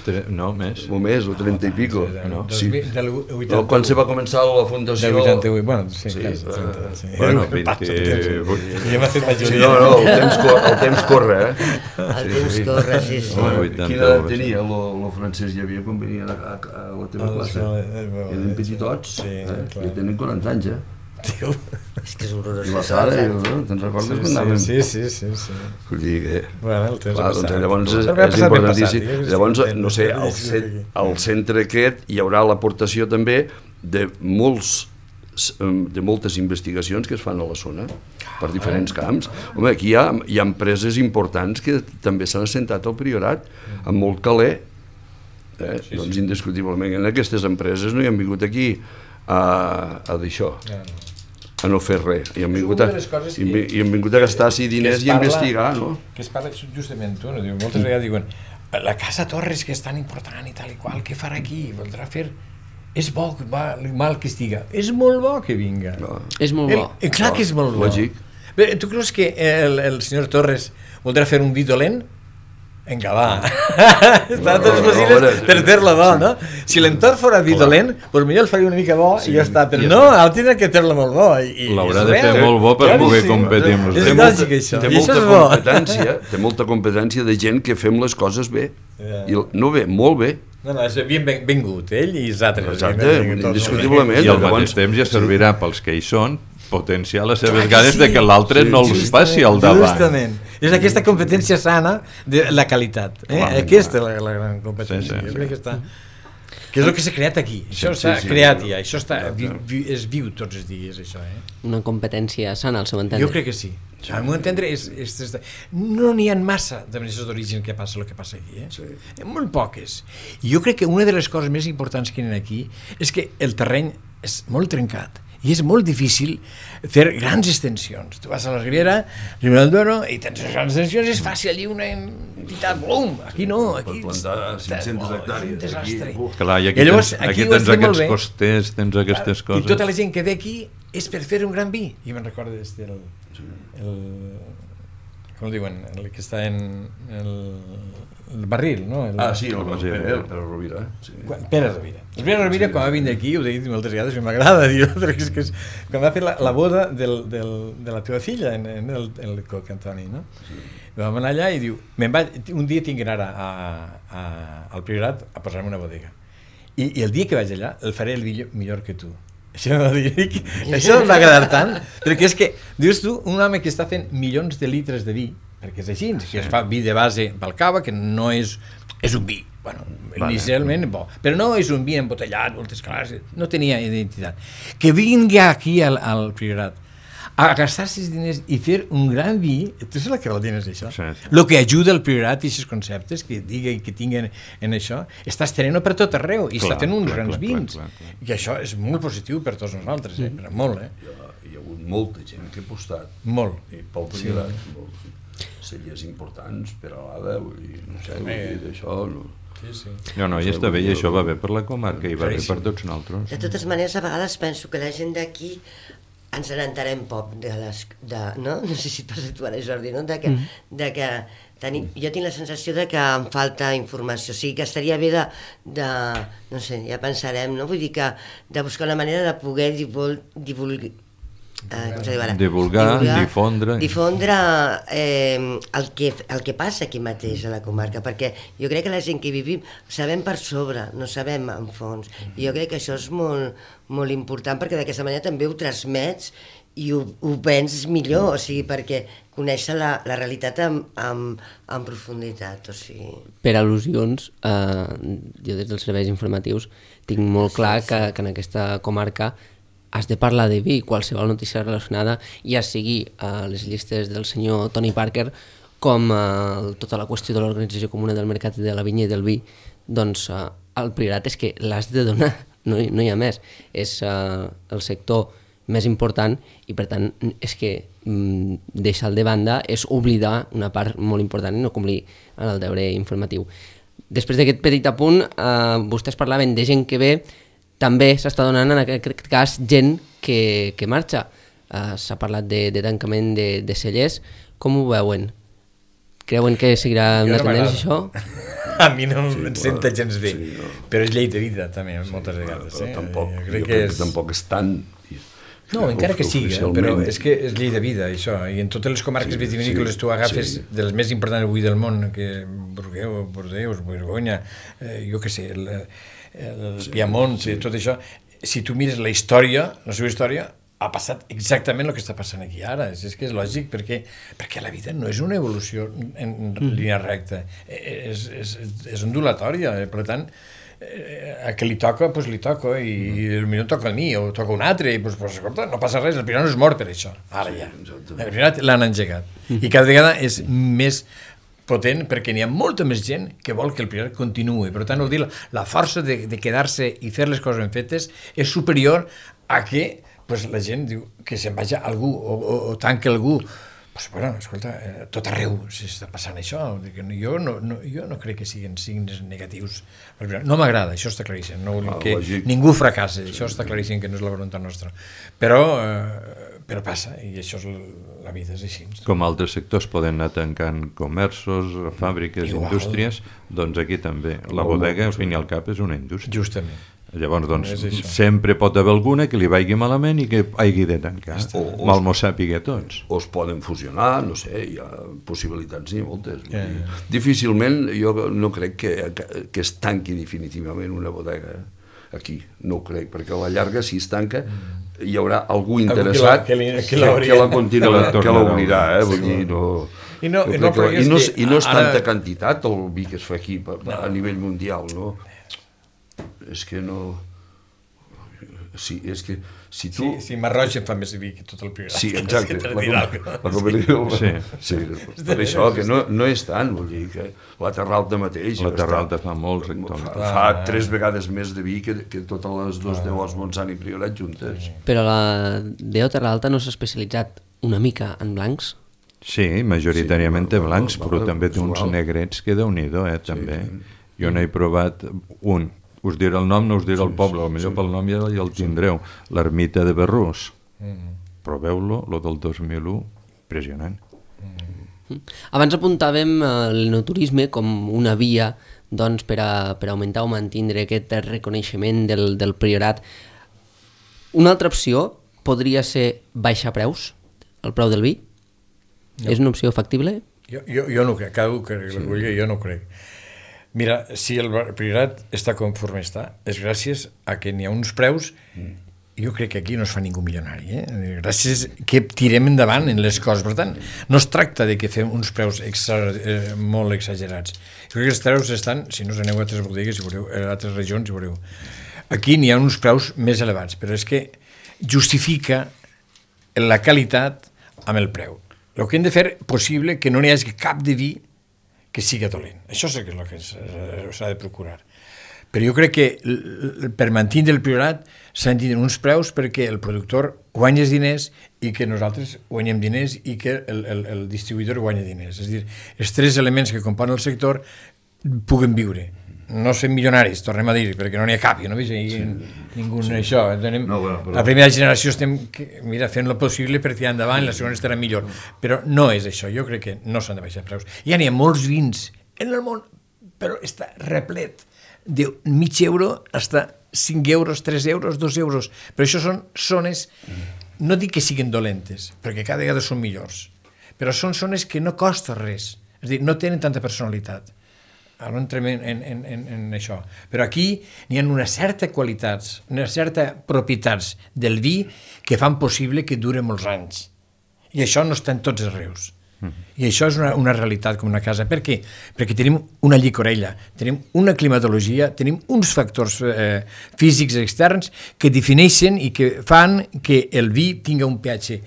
tre, no, més. O més, o trenta i pico. No? Sí. Del No, quan se va començar la fundació... Del vuitanta-vuit, bueno, sí, Sí, clar, eh, sí. bueno, Passa el vint- temps. Ja m'ha fet Sí, majoria. no, no, el temps, cor, el temps corre, eh? El temps corre, sí, sí. Home, Home, vuitanta quina edat euros. tenia lo, lo francès hi havia quan venien a, a, a la teva Ah, classe? sí, eh, Eren petitots, sí, eh? clar. Ja tenen quaranta anys, eh? Tio. És que és horrorós. I la Sara, no? Te'n recordes Sí, quan anaven? sí, sí, sí, sí. Vull dir que... Bueno, el temps Clar, ha doncs passat. llavors és, Sempre ha és passat ben importantíssim. passat, jo Llavors, estic no sé, content, al, sí, cent, sí. al centre aquest hi haurà l'aportació també de molts de moltes investigacions que es fan a la zona per diferents camps. Home, aquí hi ha, hi ha empreses importants que també s'han assentat al Priorat amb molt caler, eh? Sí, doncs sí. Indiscutiblement en aquestes empreses no hi han vingut aquí a, a d'això, a no fer res, i han vingut a, i, i han vingut a gastar-s'hi diners i a investigar, no? Que es parla justament tu, no? Diu, moltes vegades diuen la Casa Torres que és tan important i tal i qual, què farà aquí? Voldrà fer... És bo, va, mal que estiga. És molt bo que vinga. No. És molt bo. El, clar que és molt bo. Lògic. Bé, tu creus que el, el senyor Torres voldrà fer un vi dolent? Vinga, va. Estan tots no, possibles no, per fer-lo bo, no? Si l'entorn fora vi dolent, doncs millor el faria una mica bo i ja està. Però no, ara tindrà que fer-lo molt bo. L'haurà de fer molt bo per poder competir amb És els lògic, això. Té I molta això és bo. competència, té molta competència de gent que fem les coses bé. Ja. I no bé, molt bé. No, no, és ben vingut, ell i els altres. Exacte, indiscutiblement. I al Llavors- mateix temps ja servirà pels que hi són potenciar les seves Clar que ganes sí. de que l'altre Sí, no els Justament, passi al davant. Justament. És aquesta competència sana de la qualitat. Eh? Clar, aquesta és la, la gran competència. Sí, sí, Jo sí. crec que està... Que és el que s'ha creat aquí. Això Sí, està sí, creat sí. ja. Això està, vi, vi, és viu tots els dies, això. Eh? Una competència sana, al seu entendre. Jo crec que sí. Al meu entendre, és, és, és, no n'hi ha massa denominacions d'origen que passa el que passa aquí. Eh? Sí. Molt poques. I jo crec que una de les coses més importants que hi ha aquí és que el terreny és molt trencat i és molt difícil fer grans extensions. Tu vas a la Ribera, Ribera del Duero, i tens les grans extensions, és fàcil, allí una entitat, blum, aquí no, aquí... Per plantar cinc-centes Oh, hectàrees, un desastre. aquí, uf. Clar, i aquí, I llavors, tens, aquí aquí ho has tens fet molt aquests bé. costers, tens aquestes I coses. tota la gent que ve aquí és per fer un gran vi. I me'n recordo des del... El, com el diuen, el que està en el, el barril, no? El, Ah, sí, el, el- el, el Pere Rovira. Sí. Quan- Pere Rovira. El Pere Rovira, quan va vindre aquí, ho he dit moltes vegades, i m'agrada dir-ho, perquè és que és, quan va fer la, la boda del, del, de la teva filla, en, en el, el Coc Antoni, no? Sí. Vam anar allà i diu, me'n vaig, un dia tinc que anar a, a, a, al Priorat a posar-me una bodega. I, I el dia que vaig allà, el faré el millor, millor que tu. Això va dir, això em va agradar tant, perquè és que, dius tu, un home que està fent milions de litres de vi, perquè és així, que es fa vi de base pel cava, que no és, és un vi, bueno, vale. Inicialment bo, però no és un vi embotellat, moltes classes, no tenia identitat. Que vingui aquí al, al Priorat a gastar-se els diners i fer un gran vi, tu saps que vol dir és això? Sí, sí. El que ajuda el Priorat i aquests conceptes que diguen que tinguen en això, està estenent per tot arreu i clar, està fent uns clar, grans clar, vins. clar, clar, clar. I això és molt positiu per tots nosaltres, eh? Però molt, eh? Hi ha, hi ha hagut molta gent que ha apostat. Molt. I pel Priorat, sí. Molts cellers importants, per a l'Ada, vull dir, no sé, vull dir, d'això... No. Sí, sí. No, no, i està bé, i això va bé per la comarca i va bé per tots nosaltres. De totes maneres, a vegades penso que la gent d'aquí ens n'entarem poc de les... De, no? no sé si et passa tu ara, Jordi, no? De que, mm. de que tenim, jo tinc la sensació de que em falta informació, o sigui que estaria bé de, de no sé, ja pensarem, no? Vull dir que de buscar una manera de poder divul, divulgar, eh, com se diu ara? Divulgar, divulgar difondre... Difondre eh, el, que, el que passa aquí mateix a la comarca, perquè jo crec que la gent que vivim sabem per sobre, no sabem en fons, i jo crec que això és molt, molt important, perquè d'aquesta manera també ho transmets i ho, ho vens millor, o sigui, perquè conèixer la, la realitat amb, amb, amb profunditat, o sigui... Per al·lusions, eh, jo des dels serveis informatius tinc molt clar que, que en aquesta comarca has de parlar de vi, qualsevol notícia relacionada, ja sigui a les llistes del senyor Tony Parker com a tota la qüestió de l'Organització Comuna del Mercat de la Vinya i del Vi, doncs eh, el Priorat és que l'has de donar, no, no hi ha més. És eh, el sector més important i per tant és que mm, deixar-lo de banda és oblidar una part molt important i no complir en el deure informatiu. Després d'aquest petit apunt, eh, vostès parlaven de gent que ve, també s'està donant en aquest cas gent que, que marxa. Uh, s'ha parlat de, de tancament de, de cellers. Com ho veuen? Creuen que seguirà una no tendència això? A mi no Sí, em senta clar, gens bé, sí, no. però és llei de vida també, moltes vegades. Però Eh? tampoc, jo jo crec crec que és... que tampoc és tant... No, encara que sigui, però oficialment. és que és llei de vida, això, i en totes les comarques Sí, vitivinícoles sí, tu agafes sí. de les més importants avui del món, que Bordeus, Bordeus, Borgonya, eh, jo què sé, el, el Sí, Piemont, sí. tot això, si tu mires la història, la seva història, ha passat exactament el que està passant aquí ara, és, és que és lògic, perquè, perquè la vida no és una evolució en, en línia recta, és, és, és ondulatòria, eh? Per tant, eh, a que li toca, doncs li toca, i, i potser toca a mi, o toca a un altre, i doncs, pues, escolta, no passa res, el Priorat no és mort per això, ara ja. exactament. El Priorat l'han engegat. I cada vegada és més potent perquè n'hi ha molta més gent que vol que el Priorat continuï. Per tant, vol dir, la força de, de quedar-se i fer les coses ben fetes és superior a que pues, la gent diu que se'n vagi algú o, o, o tanque algú. Pues, bueno, escolta, eh, tot arreu s'està passant això. Jo no, no, jo no crec que siguin signes negatius. No m'agrada, això està claríssim. No vull Ah, que lògic. ningú fracassi, això està claríssim que no és la voluntat nostra. Però, eh, però passa, i això és la vida, és així. Com altres sectors poden anar tancant comerços, fàbriques, Igual. indústries, doncs aquí també. La bodega, al fin i al cap, és una indústria. Justament. Llavors, doncs, És això. sempre pot haver alguna que li vagi malament i que hagi de tancar. O- o- Mal m'ho sàpiga tots. O es poden fusionar, no sé, hi ha possibilitats, n'hi ha moltes. Vull Ja, dir, ja. Difícilment, jo no crec que, que, que es tanqui definitivament una bodega aquí, no ho crec, perquè a la llarga, si es tanca, hi haurà algú interessat que la- que que, la- que la que la continua, que la que l'obrirà, tornarà. eh? Vull dir, no... I no- jo i no crec que- creguis i no, és- que I no és ara- tanta quantitat el vi que es fa aquí a, a nivell mundial, no? És que no... Sí, és que si tu... Sí, sí, Marroig en fa més vi que tot el Priorat. Sí, exacte. Per La, dir com, alguna cosa. la cooperativa, Sí. sí. sí. Per això, que no, no és tant, vull dir que la Terra Alta mateix... La Terra està- Alta fa molts hectòmetres. Fa, fa tres vegades més de vi que, que totes les dos D Os Montsant i Priorat juntes. Però la D O Terra Alta no s'ha especialitzat una mica en blancs? Sí, majoritàriament té Sí, blancs, va- va- però va- també té uns igual. negrets que déu-n'hi-do, eh, també. Jo n'he provat un. Us diré el nom, no us diré el poble, potser pel nom ja, ja el tindreu. L'ermita de Berrús. Proveu-lo, lo del dos mil u, impressionant. Abans apuntàvem l'enoturisme com una via doncs, per, a, per augmentar o mantenir aquest reconeixement del, del priorat. Una altra opció podria ser baixar preus, el preu del vi? No. És una opció factible? Jo, jo, jo no crec, cada un que sí. Vulgui, jo no crec. Mira, si el priorat està conforme està, és gràcies a que n'hi ha uns preus. Mm. Jo crec que aquí no es fa ningú milionari, eh? Gràcies que tirem endavant en les coses. Per tant, no es tracta de que fem uns preus extra, eh, molt exagerats. Jo crec que els preus estan, si no us aneu a altres bodegues, si veureu, a altres regions, si veureu. Aquí n'hi ha uns preus més elevats, però és que justifica la qualitat amb el preu. El que hem de fer possible que no n'hi hagi cap de vi que siga dolent. Això és el que s'ha de procurar. Però jo crec que per mantenir el priorat s'han de tenir uns preus perquè el productor guanya diners i que nosaltres guanyem diners i que el, el, el distribuïdor guanya diners. És a dir, els tres elements que componen el sector puguen viure. No ser milionaris, tornem a dir, perquè no n'hi ha cap, jo no veig ahí sí, ningú sí. Això. Tenim, no, bueno, però... La primera generació estem mira, fent el possible per tirar endavant, la segona estarà millor. Però no és això, jo crec que no s'han de baixar preus. Ja n'hi ha molts vins en el món, però està replet de mig euro fins cinc euros, tres euros, dos euros. Però això són zones, no dic que siguin dolentes, perquè cada vegada són millors, però són zones que no costa res, és a dir, no tenen tanta personalitat. Ara no entrem en, en, en, en això. Però aquí n'hi ha una certa qualitats, una certa propietats del vi que fan possible que dure molts anys. I això no està en tots els rius. I això és una, una realitat com una casa. Per què? Perquè tenim una llicorella, tenim una climatologia, tenim uns factors eh, físics externs que defineixen i que fan que el vi tingui un pH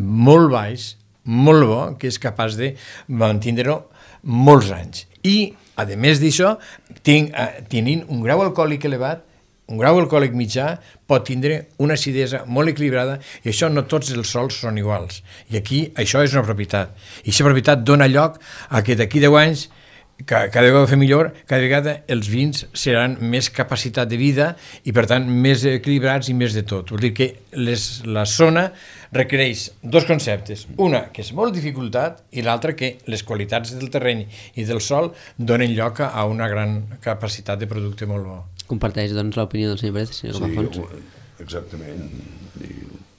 molt baix, molt bo, que és capaç de mantenir-ho molts anys. I, a més d'això, ten, eh, tenint un grau alcohòlic elevat, un grau alcohòlic mitjà pot tindre una acidesa molt equilibrada i això no tots els sols són iguals. I aquí això és una propietat. I aquesta propietat dona lloc a que d'aquí deu anys, cada vegada fer millor, cada vegada els vins seran més capacitat de vida i per tant més equilibrats i més de tot. Vol dir que les, la zona requereix dos conceptes. Una, que és molt dificultat, i l'altra, que les qualitats del terreny i del sòl donen lloc a una gran capacitat de producte molt bo. Comparteix, doncs, l'opinió del senyor Pérez, senyor Campafons. Sí, exactament.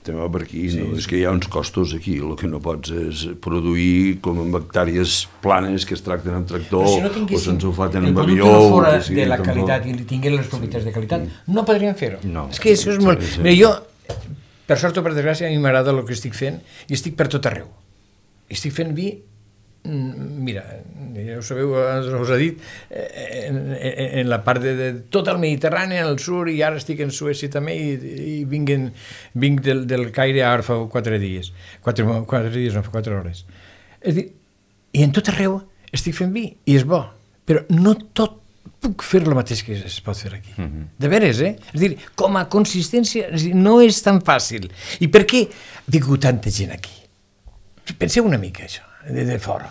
Estem per aquí, sí, no? És que hi ha uns costos aquí, el que no pots és produir com en hectàrees planes que es tracten amb tractor si no o se'ns ho faten amb avió. El producte no fora de la qualitat i tinguin les propietats de qualitat, no podríem fer-ho. No. És que això és molt... Mira, jo, per sort o per desgràcia, a mi m'agrada el que estic fent i estic per tot arreu. Estic fent vi. Mira, ja ho sabeu, us ha dit, en, en, en la part de, de tot el Mediterrani, al sud, i ara estic en Suècia també, i, i vinc, en, vinc del, del Caire ara fa quatre dies, quatre, quatre dies, no, fa quatre hores. És dir, i en tot arreu estic fent vi, i és bo, però no tot puc fer el mateix que es pot fer aquí. Uh-huh. De veres, eh? És dir, com a consistència, és dir, no és tan fàcil. I per què ha vingut tanta gent aquí? Penseu una mica, això. De, de fora.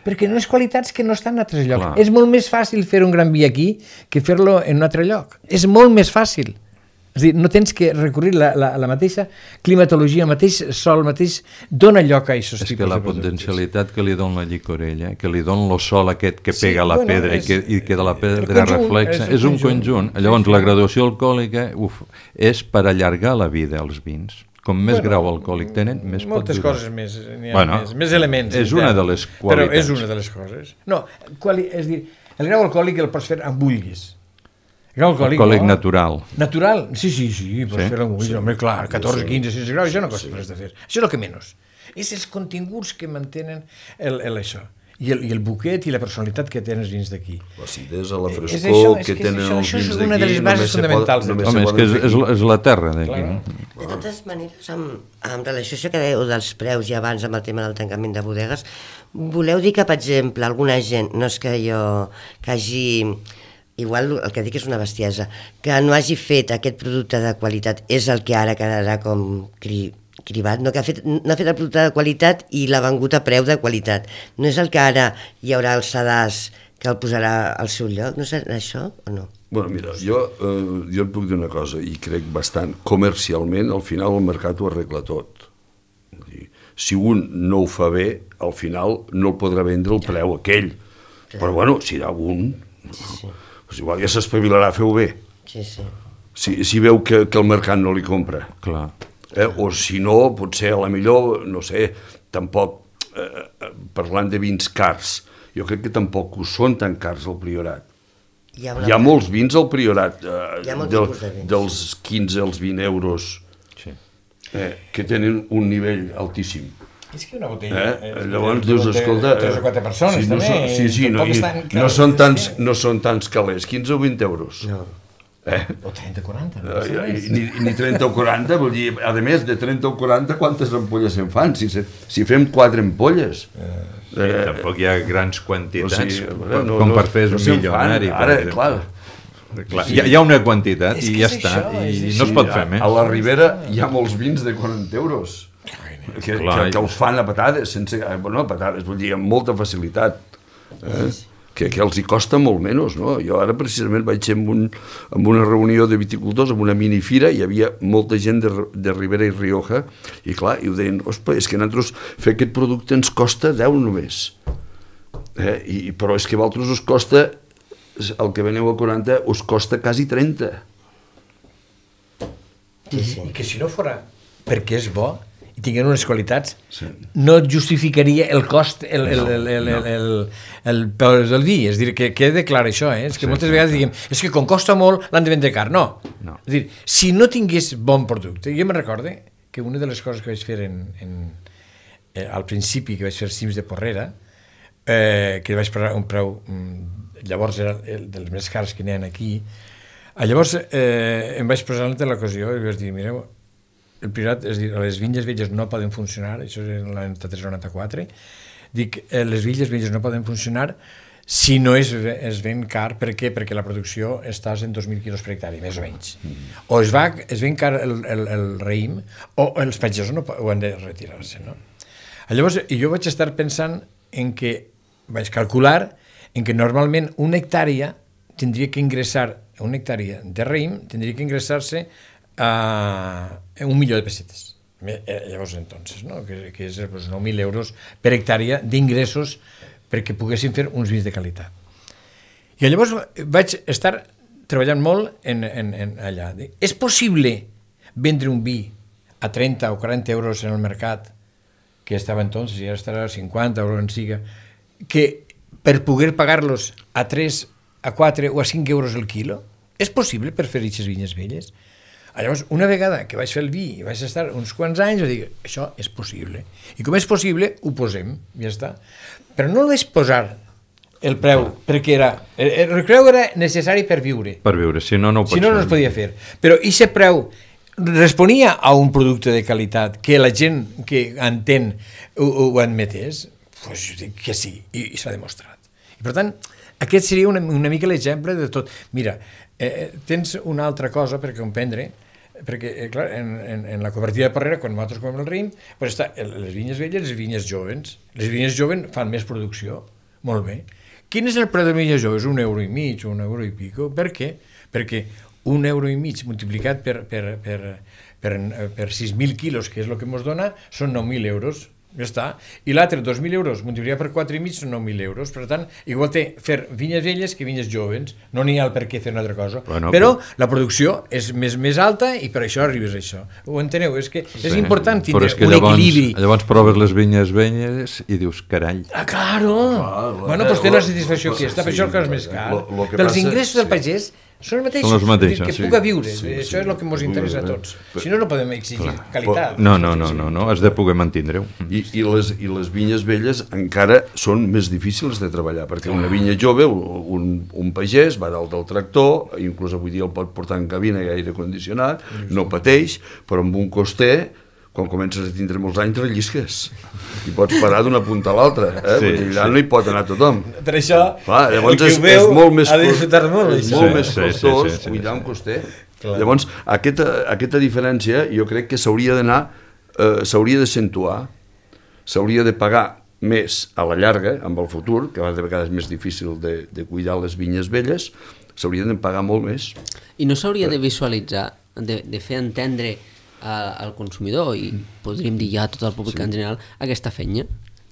Perquè no és qualitats que no estan en altres llocs. Clar. És molt més fàcil fer un gran vi aquí que fer-lo en un altre lloc. És molt més fàcil. És a dir, no tens que recurrir la, la, la mateixa climatologia, el mateix sol, el mateix... Dona lloc a aquests tipus de productes. És que la potencialitat que li dona la llicorella, que li dona el sol aquest que pega sí, a la bueno, pedra és, i, que, i que de la pedra conjunt, reflexa, és, és un conjunt. conjunt. Llavors, la graduació alcohòlica uf, és per allargar la vida als vins. Com més bueno, grau alcohòlic tenen, més pot durar. Moltes coses més, n'hi ha bueno, més, més elements. És una de les qualitats. Però és una de les coses. No, quali, és dir, el grau alcohòlic el pots fer amb bullgues. El grau alcohòlic, alcohòlic no? natural. Natural? Sí, sí, sí, pots sí? fer amb bullgues. Sí. Home, clar, catorze, quinze, setze graus, això no costa sí. res de fer. Això és el que menys. És els continguts que mantenen el, el això. I el, i el buquet i la personalitat que tenen els vins d'aquí. L'acidesa, la frescor això, que, que tenen els vins d'aquí... Això és una de les bases fonamentals. Home, és que és, és, és la terra d'aquí. Claro. De totes maneres, amb, amb relació a això que dèieu dels preus i abans amb el tema del tancament de bodegues, voleu dir que, per exemple, alguna gent, no és que jo que hagi... Igual el que dic és una bestiesa, que no hagi fet aquest producte de qualitat és el que ara quedarà com cri... cribat, no, que ha fet, no ha fet el producte de qualitat i l'ha vengut a preu de qualitat. No és el que ara hi haurà el sedàs que el posarà al seu lloc? No és això o no? Bueno, mira, jo, eh, jo et puc dir una cosa, i crec bastant, comercialment, al final el mercat ho arregla tot. si un no ho fa bé, al final no el podrà vendre el preu aquell. Però bueno, si hi ha un, doncs igual ja s'espavilarà a fer-ho bé. Sí, sí. Si, si veu que, que el mercat no li compra. Clar. Eh? O si no, potser a la millor, no sé, tampoc, eh, parlant de vins cars, jo crec que tampoc ho són tan cars al Priorat. Hi ha, Hi ha molts vins al Priorat, eh, del, de dels quinze als vint euros, sí. eh, que tenen un nivell altíssim. És que una botella... Eh? Llavors dius, escolta... Tres o quatre persones, sí, no també. Són, sí, sí, no, i, no, són tants, no són tants calés, quinze o vint euros. No. Eh? O trenta o quaranta. No eh, ni, ni trenta o quaranta, vull dir, a més, de trenta o quaranta, quantes ampolles se'n fan? Si, si fem quatre ampolles... Eh, eh, tampoc hi ha grans quantitats, o sigui, no, com per fer no, un milionari. Ara, clar... Clar, hi, ha, hi ha una quantitat i ja està, això, i no es pot fer més. A la Ribera hi ha molts vins de quaranta euros. Que, que, que els fan a patades, sense, bueno, a patades, vull dir, amb molta facilitat, eh? que, que els hi costa molt menys, no? Jo ara precisament vaig ser en, un, en una reunió de viticultors, en una minifira, hi havia molta gent de, de Ribera i Rioja, i clar, i ho deien, ospa, és que nosaltres fer aquest producte ens costa deu només, eh? I, però és que a vosaltres us costa, el que veneu a quaranta, us costa quasi trenta. Sí, sí. I que si no fora perquè és bo, i tinguin unes qualitats, sí. no justificaria el cost, el, el, el, el, no. el, el, el, el vi. És a dir, que quede clar això, eh? És que sí, moltes sí. vegades diguem, és que com costa molt l'han de vendre car. No. no. És a dir, si no tingués bon producte, jo me'n recorde que una de les coses que vaig fer en, en, eh, al principi, que vaig fer cims de Porrera, eh, que vaig pagar un preu, llavors era el dels més cars que n'hi ha aquí, llavors eh, em vaig posar en l'ocasió i vaig dir, mireu, el Priorat, és a dir, les vinyes velles no poden funcionar, això és en l'any noranta-tres noranta-quatre, dic, eh, les vinyes velles no poden funcionar si no es, es ven car. Per què? Perquè la producció estàs en dos mil quilos per hectari, més o menys. O es, va, es ven car el, el, el raïm, o els pagesos no ho han de retirar-se, no? Llavors, jo vaig estar pensant en que, vaig calcular, en que normalment una hectàrea tindria que ingressar, una hectàrea de raïm tindria que ingressar-se a un milió de pessetes. Llavors, entonces, no? que, que és pues, nou mil euros per hectàrea d'ingressos perquè poguessin fer uns vins de qualitat. I llavors vaig estar treballant molt en, en, en allà. És possible vendre un vi a trenta o quaranta euros en el mercat, que estava entonces, i ara estarà a cinquanta euros en siga, que per poder pagar-los a tres, a quatre o a cinc euros el quilo? És possible per fer aquestes vinyes velles? Llavors, una vegada que vaig fer el vi i vaig estar uns quants anys, vaig dir, això és possible. I com és possible, ho posem, ja està. Però no el vaig posar el preu, perquè era, el preu era necessari per viure. Per viure, si no, no ho pots fer. Si no, no es podia fer. Però aquest preu responia a un producte de qualitat que la gent que entén ho, ho admetés, doncs jo dic que sí, i, i s'ha demostrat. I per tant, aquest seria una, una mica l'exemple de tot. Mira, eh, tens una altra cosa per comprendre, perquè, eh, clar, en, en, en la cooperativa de Porrera, quan nosaltres comem el raïm, pues està les vinyes velles i les vinyes joves. Les vinyes joves fan més producció, molt bé. Quin és el preu de vinyes joves? Un euro i mig o un euro i pico. Per què? Perquè un euro i mig multiplicat per, per, per, per, per sis mil quilos, que és el que ens dona, són nou mil euros. Ja està. I l'altre, dos mil euros, multiplicat per quatre i mig són nou mil euros. Per tant, igual té fer vinyes velles que vinyes joves. No n'hi ha el per què fer una altra cosa. Bueno, però però la producció és més, més alta i per això arribes a això. Ho enteneu? És que és sí, important tindre un llavors, equilibri. Llavors proves les vinyes velles i dius, carall. Ah, claro! Ah, bueno, doncs té una satisfacció aquí. Està per això el que és més car. Pels ingressos del pagès són els mateixos, són els mateixos, que sí. puga viure, sí, això sí, és el que ens interessa a tots. Si no, no podem exigir clar. Qualitat. No, no, no, no, no, has de poder mantindre-ho. I, i, les, I les vinyes velles encara són més difícils de treballar, perquè una vinya jove, un, un pagès va dalt del tractor, inclús avui dia el pot portar en cabina i aire condicionat, no pateix, però amb un coster, quan comences a tindre molts anys, rellisques. I pots parar d'una punta a l'altra. Eh? Sí, allà sí. No hi pot anar tothom. Per això, clar, llavors és, és molt més, ha de disfrutar molt. És molt sí, més costós sí, sí, sí, cuidar un coster. Clar. Llavors, aquesta, aquesta diferència jo crec que s'hauria d'anar, eh, s'hauria d'accentuar, s'hauria de pagar més a la llarga, amb el futur, que de vegades és més difícil de, de cuidar les vinyes velles, s'hauria de pagar molt més. I no s'hauria de visualitzar, de, de fer entendre al consumidor i podríem dir ja a tot el públic en general aquesta feina.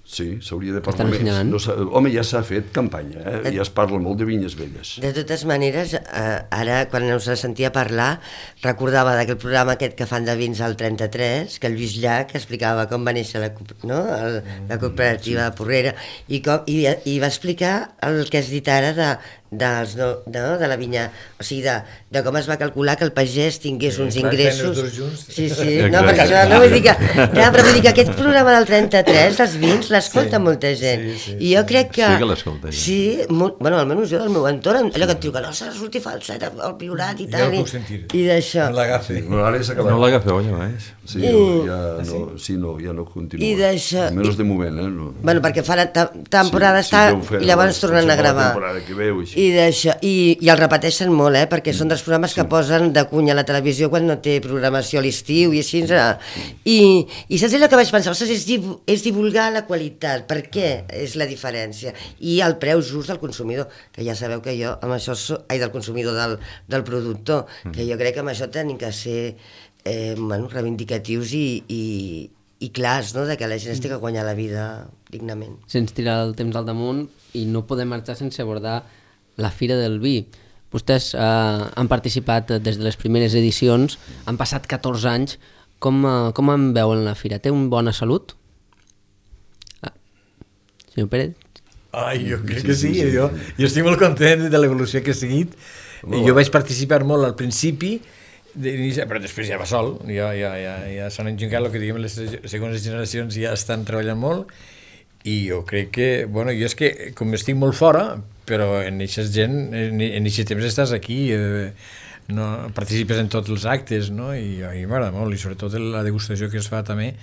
Sí, s'hauria de parlar més. No, home, ja s'ha fet campanya, eh? Ja es parla molt de vinyes velles. De totes maneres, eh, ara, quan us sentia parlar, recordava d'aquell programa aquest que fan de vins al trenta-tres, que el Lluís Llach explicava com va néixer la, no? el, la cooperativa sí. Porrera, i, com, i, i va explicar el que has dit ara de, dels, no, de, de la vinya, o sigui, de, de com es va calcular que el pagès tingués sí, uns ingressos. Sí, sí, no, per això, no, vull dir que, ja, però vull dir que aquest programa del trenta-tres, dels vins, l'escolta sí, molta gent. Sí, sí, I jo crec que... Sí que l'escolta gent. Sí, molt, bueno, almenys jo del meu entorn, allò que et diu que no s'ha de sortir falset, el Priorat i tal. Jo el puc sentir. I d'això. No l'agafi. No, ara s'ha acabat. No l'agafeu, llavors. Sí, I... ja, no, sí, no, ja no continua. I d'això... Almenys de moment, eh? No. Bueno, perquè fa la temporada sí, està sí, i llavors tornen a gravar. Veu, I d'això, i, i el repeteixen molt, eh? Perquè són dels programes que sí. posen de cunya a la televisió quan no té programació a l'estiu i així. I, i saps allò que vaig pensar? Ostres, és, div és divulgar la qualitat. Per què és la diferència? I el preu just del consumidor, que ja sabeu que jo amb això so, ai, del consumidor, del, del productor, que jo crec que amb això tenim que ser eh, bueno, reivindicatius i, i, i clars, no? De que la gent es té que guanyar la vida dignament. Sense tirar el temps al damunt, i no podem marxar sense abordar la Fira del Vi. Vostès eh, han participat des de les primeres edicions, han passat catorze anys. Com, eh, com en veuen la Fira? Té una bona salut? Ah. Senyor Pérez? Ai, jo crec que sí, jo, jo estic molt content de l'evolució que he seguit. Jo vaig participar molt al principi, però després ja va sol, ja, ja, ja, ja s'han engincat, el que diguem, les segones generacions ja estan treballant molt, i jo crec que, bueno, jo és que, com estic molt fora, però en aquest gent, en aquest temps estàs aquí, eh, no, participes en tots els actes, no? I a mi m'agrada molt, i sobretot la degustació que es fa també,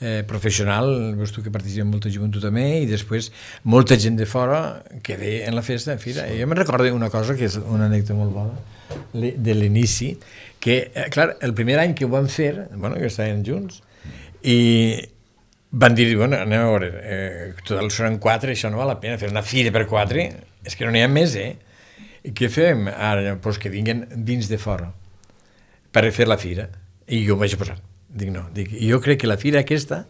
eh, professional, veus tu que participa molta gent tu també, i després molta gent de fora que ve en la festa, en fira. I jo me'n recordo una cosa, que és una anècdota molt bona, de l'inici, que, eh, clar, el primer any que ho vam fer, bueno, que estàvem junts, i van dir, bueno, anem a veure, eh, total són quatre, això no val la pena, fer una fira per quatre, és que no n'hi ha més, eh? I què fem? Ara, doncs que vinguen vins de fora per fer la fira. I jo em vaig posar. Dic, no, dic, jo crec que la fira aquesta,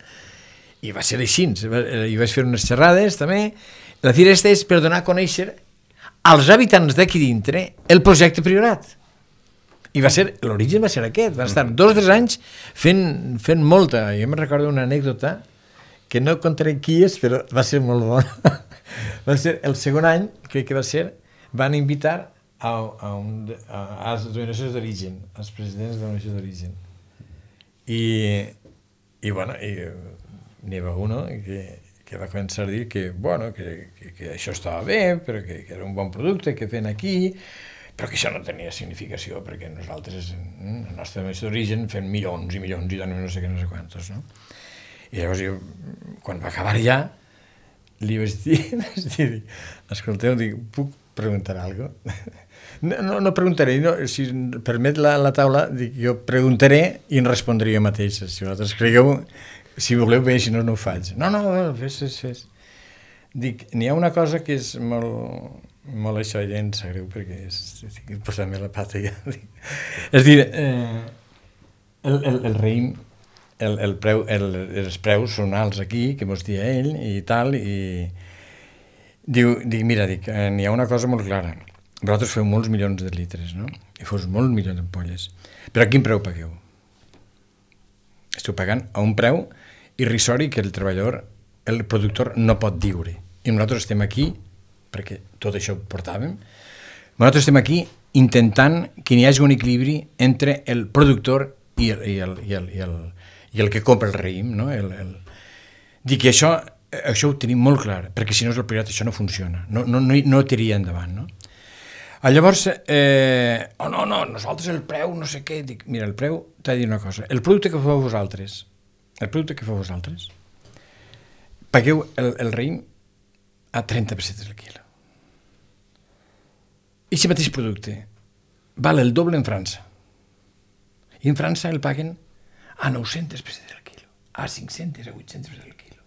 i va ser així, i vaig fer unes xerrades també, la fira aquesta és per donar a conèixer als habitants d'aquí dintre el projecte Priorat. I va ser, l'origen va ser aquest, van estar dos o tres anys fent, fent molta. Jo me'n recordo una anècdota que no contaré qui és, però va ser molt bona. Va ser el segon any, crec que va ser, van invitar a, a, un, a, a les denominacions d'origen, als presidents de denominacions d'origen. I, i bueno, n'hi va uno que, que va començar a dir que, bueno, que, que, que això estava bé, però que, que era un bon producte que feien aquí, però que això no tenia significació, perquè nosaltres, en la nostra denominació d'origen, fem milions i milions i donem no sé què, no sé quantos, no? I llavors jo, quan va acabar ja, li vaig dir, vaig dir, escolteu, dic, puc preguntar alguna cosa? No, no, no preguntaré, no, si permet la, la taula, dic, jo preguntaré i en respondré jo mateix. Si vosaltres cregueu, si voleu bé, si no, no ho faig. No, no, fes, fes, fes. Dic, n'hi ha una cosa que és molt, molt això, ja em sap greu, perquè estic posant-me la pata ja. És dir, eh, el, el, el raïm, el, el preu, el, els preus són alts aquí, que mos dia ell i tal, i diu, dic, mira, dic, eh, n'hi ha una cosa molt clara. Vosaltres feu molts milions de litres, no? I fos molts milions d'ampolles. Però a quin preu pagueu? Esteu pagant a un preu irrisori que el treballador, el productor, no pot diure. I nosaltres estem aquí, perquè tot això ho portàvem, nosaltres estem aquí intentant que n'hi hagi un equilibri entre el productor i el, i el, i el, i el, i el que compra el raïm, no? El, el... Dic que això, això ho tenim molt clar, perquè si no és el Priorat això no funciona, no, no, no, no tiria endavant, no? Llavors, eh, oh no, no, nosaltres el preu, no sé què, dic, mira, el preu, t'ha de dir una cosa, el producte que feu vosaltres, el producte que feu vosaltres, pagueu el, el raïm a trenta pessetes el quilo. I aquest mateix producte val el doble en França. I en França el paguen a nou-centes pessetes el quilo, a cinc-centes, a vuit-centes pessetes el quilo.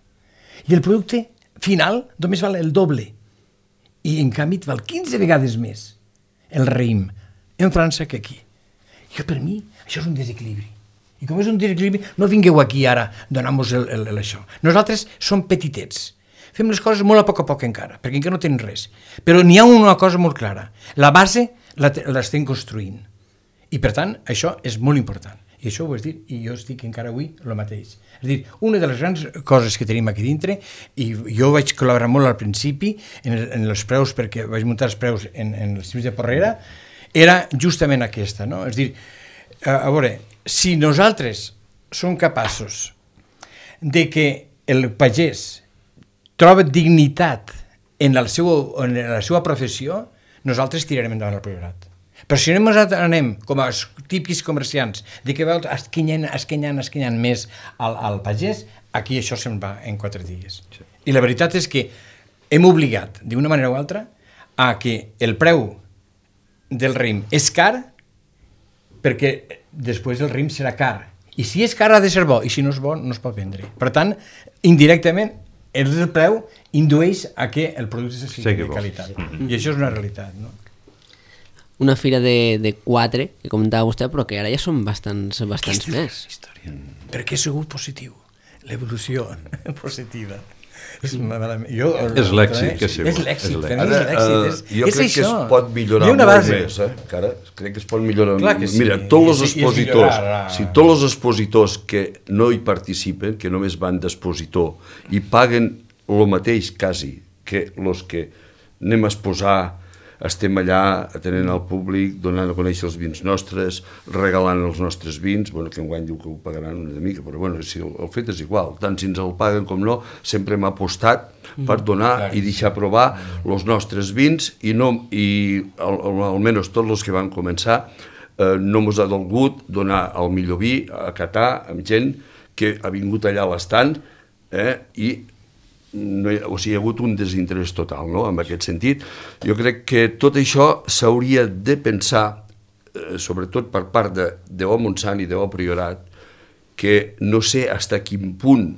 I el producte final només val el doble. I en canvi et val quinze vegades més el raïm en França que aquí. Jo, per mi, això és un desequilibri. I com és un desequilibri, no vingueu aquí ara a donar-nos el, el, el, això. Nosaltres som petitets. Fem les coses molt a poc a poc encara, perquè encara no tenim res. Però n'hi ha una cosa molt clara. La base l'estem construint. I, per tant, això és molt important. I això ho vas dir, i jo estic encara avui el mateix. És a dir, una de les grans coses que tenim aquí dintre, i jo vaig col·laborar molt al principi en, en els preus, perquè vaig muntar els preus en, en els cims de Porrera, era justament aquesta, no? És a dir, a, a veure, si nosaltres som capaços de que el pagès troba dignitat en la seva, en la seva professió, nosaltres tirarem endavant el Priorat. Però si nosaltres anem com a típics comerciants de que veus esquinyant, esquinyant, esquinyant més al, al pagès, aquí això se'n va en quatre dies. Sí. I la veritat és que hem obligat, d'una manera o altra, a que el preu del raïm és car perquè després el raïm serà car. I si és car ha de ser bo, i si no és bo no es pot vendre. Per tant, indirectament, el preu indueix a que el producte sigui sí, de qualitat. Mm-hmm. I això és una realitat, no? Una fira de, de quatre, que comentava vostè, però que ara ja són bastants, bastants més. És història. Perquè ha sigut positiu. L'evolució positiva. És, jo, és l'èxit que ha sigut. És l'èxit. Ara, uh, jo crec que es pot millorar molt base. més. Eh? Encara, crec que es pot millorar. Sí. Mira, tots els expositors, si tots els expositors que no hi participen, que només van d'expositor, i paguen el mateix, quasi, que els que anem a exposar, estem allà atenent al públic, donant a conèixer els vins nostres, regalant els nostres vins, bueno, que enguany diu que ho pagaran una mica, però bueno, si el, el fet és igual, tant si ens el paguen com no, sempre hem apostat per donar i deixar provar els nostres vins i, no, i al, al, almenys tots els que van començar eh, no ens ha dolgut donar el millor vi a catar amb gent que ha vingut allà a l'estant eh, i No hi, o sigui, hi ha hagut un desinterès total, no?, en aquest sentit. Jo crec que tot això s'hauria de pensar, eh, sobretot per part de, de O Montsant i de O Priorat, que no sé fins a quin punt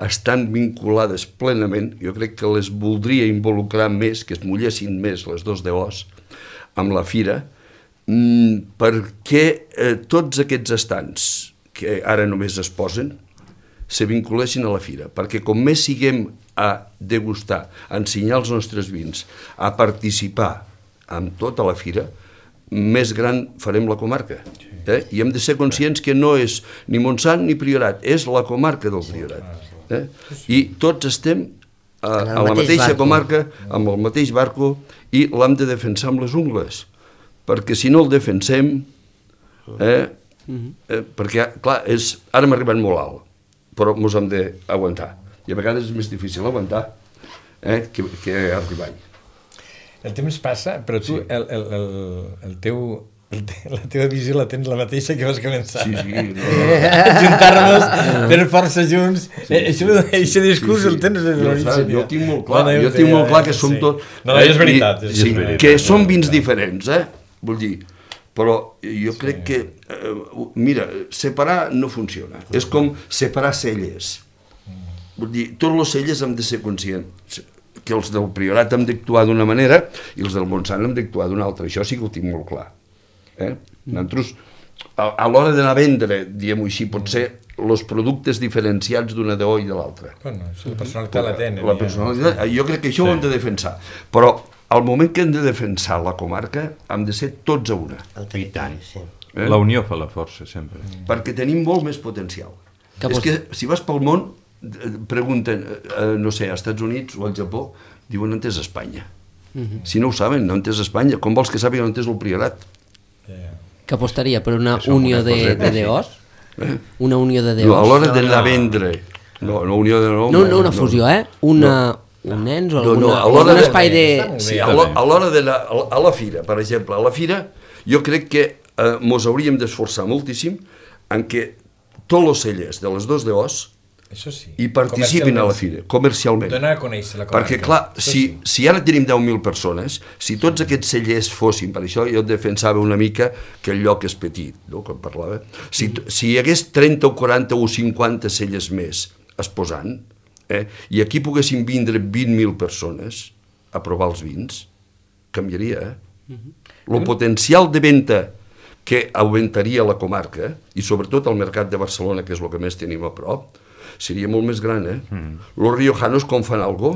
estan vinculades plenament, jo crec que les voldria involucrar més, que es mullessin més les dos de Os amb la fira, mmm, perquè eh, tots aquests estants que ara només es posen, se vinculessin a la fira, perquè com més siguem a degustar, a ensenyar els nostres vins, a participar amb tota la fira, més gran farem la comarca. Eh? I hem de ser conscients que no és ni Montsant ni Priorat, és la comarca del Priorat. Eh? I tots estem a, a la mateixa comarca, amb el mateix barco, i l'hem de defensar amb les ungles, perquè si no el defensem, eh, eh, perquè, clar, és, ara hem arribat molt alt, però ens hem d'aguantar. I a vegades és més difícil aguantar eh, que, que arribar. El temps passa, però tu, sí. el, el, el, el teu, el te, la teva visió la tens la mateixa que vas començar. Sí, sí. No. Juntar-nos, fer força junts. Sí, eh, això, això discurs sí, sí. el tens des de l'origen. Jo tinc molt clar, jo tinc molt clar que som sí. tot... No, no, és veritat. És sí, veritat. Que són vins diferents, eh? Vull dir... Però jo sí. crec que, eh, mira, separar no funciona. Sí. És com separar celles. Vull dir, tots els celles hem de ser conscients que els del Priorat hem d'actuar d'una manera i els del Montsant hem d'actuar d'una altra. Això sí que ho tinc molt clar. Eh? Nosaltres, a, a l'hora d'anar a vendre, diguem-ho així, potser els productes diferenciats d'una de O i de l'altra. Bueno, la personalitat la tenen. La personalitat, jo crec que això sí. ho hem de defensar. Però al moment que hem de defensar la comarca, hem de ser tots a una. I tant. Sí. Eh? La unió fa la força, sempre. Mm. Perquè tenim molt més potencial. Que és que si vas pel món, pregunten, eh, no sé, als Estats Units o al Japó, diuen on és Espanya. Mm-hmm. Si no ho saben, on és Espanya? Com vols que sàpiguen on és el Priorat? Yeah. Que apostaria per una unió de, de D Os? Eh? Una unió de D Os? No, a l'hora d'anar a vendre. No, no, unió de no, no, no una fusió, eh? Una... No. Un nens o alguna, no, no, algun espai de... Sí, a l'hora d'anar a la fira, per exemple, a la fira, jo crec que eh, mos hauríem d'esforçar moltíssim en que tots els cellers de les dos de Os Això sí. i participin a la fira, comercialment. Donar a conèixer la comarca. Perquè, clar, si, sí. si ara tenim deu mil persones, si tots aquests cellers fossin, per això jo defensava una mica que el lloc és petit, no?, quan parlava, si, si hi hagués trenta o quaranta o cinquanta cellers més exposant, Eh? i aquí poguessin vindre vint mil persones a provar els vins, canviaria. Eh? Uh-huh. El potencial de venda que augmentaria la comarca, i sobretot el mercat de Barcelona, que és el que més tenim a prop, seria molt més gran, eh? Mm. Los riojanos com fan algo?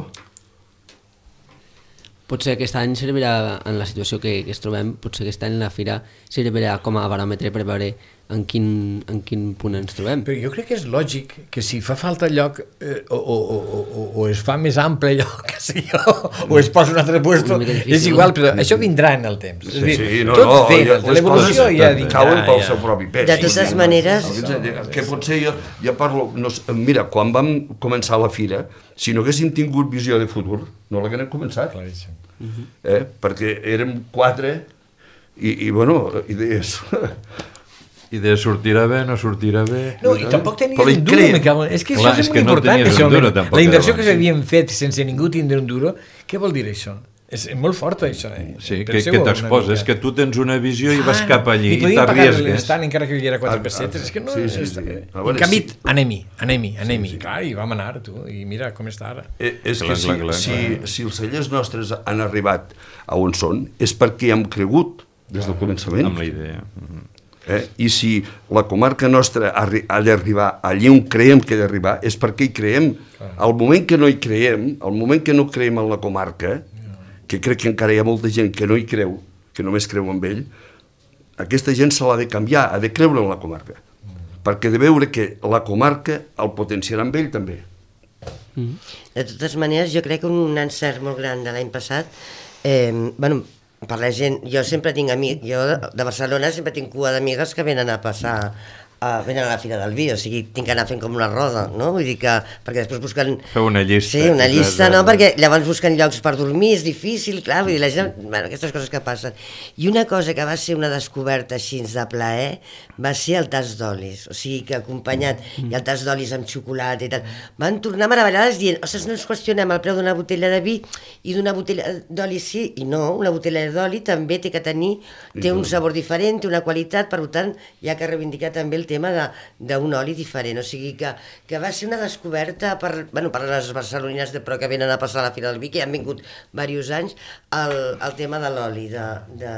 Potser aquest any servirà, en la situació que, que es trobem, potser aquest any la fira servirà com a baròmetre per veure en quin, en quin punt ens trobem. Però jo crec que és lògic que si fa falta lloc eh, o, o, o, o, o es fa més ample lloc, que sé jo, o es posa un altre puesto, és igual, però això vindrà en el temps. Sí, és dir, sí, no, tot no, ve, ja, l'evolució ja vindrà. Cauen pel ja. seu propi pes. De totes sí, maneres... Que potser jo, jo parlo... No, mira, quan vam començar la fira, si no haguéssim tingut visió de futur, no l'haguem començat. Claríssim. Eh? Perquè érem quatre i, i bueno, idees... I de sortirà bé, no sortirà bé... No, i tampoc tenies Però un duro, me cago. És que Clar, això és, és molt que no important. tenies Això, un duro, tampoc, la inversió que abans. s'havien fet sense ningú tindre un duro, què vol dir això? És molt fort, això. Eh? Sí, que, Penseu que una t'exposes, mica. que tu tens una visió i vas cap allí i i podien pagar t'arriesgues. l'instant encara que hi era quatre Ah, pessetes. ah, És que no... sí, sí, és- sí. En A veure, canvi, sí. anem-hi, anem-hi, anem-hi. Clar, i vam anar, tu, i mira com està ara. Eh, és Clar, que si, clar, clar, si, clar. si els cellers nostres han arribat a on són, és perquè hem cregut des del començament. Amb la idea. Mhm. Eh? I si la comarca nostra ha, ha d'arribar allí on creiem que ha d'arribar, és perquè hi creiem. Al moment que no hi creiem, al moment que no creiem en la comarca, que crec que encara hi ha molta gent que no hi creu, que només creu en ell, aquesta gent se l'ha de canviar, ha de creure en la comarca. Perquè de veure que la comarca el potenciarà amb ell també. De totes maneres, jo crec que un encert molt gran de l'any passat, eh, bueno, per la gent, jo sempre tinc amics, jo de Barcelona sempre tinc cua d'amigues que venen a passar, a, venen a la Fira del Vi, o sigui, tinc que anar fent com una roda, no? Vull dir que, perquè després busquen... Feu una llista. Sí, una de- llista, de- no? Perquè llavors busquen llocs per dormir, és difícil, clar, vull dir, la gent... Bueno, aquestes coses que passen. I una cosa que va ser una descoberta així de plaer va ser el tas d'olis, o sigui, que acompanyat, i el tas d'olis amb xocolata i tal, van tornar meravellades dient, ostres, no ens qüestionem el preu d'una botella de vi i d'una botella d'oli sí, i no, una botella d'oli també té que tenir, té un sabor diferent, té una qualitat, per tant, hi ha que reivindicar també el tema de- d'un oli diferent, o sigui que, que va ser una descoberta per, bueno, per les barcelonines de, però que venen a passar a la Fira del Vi, que ja han vingut diversos anys, el, el tema de l'oli, de, de,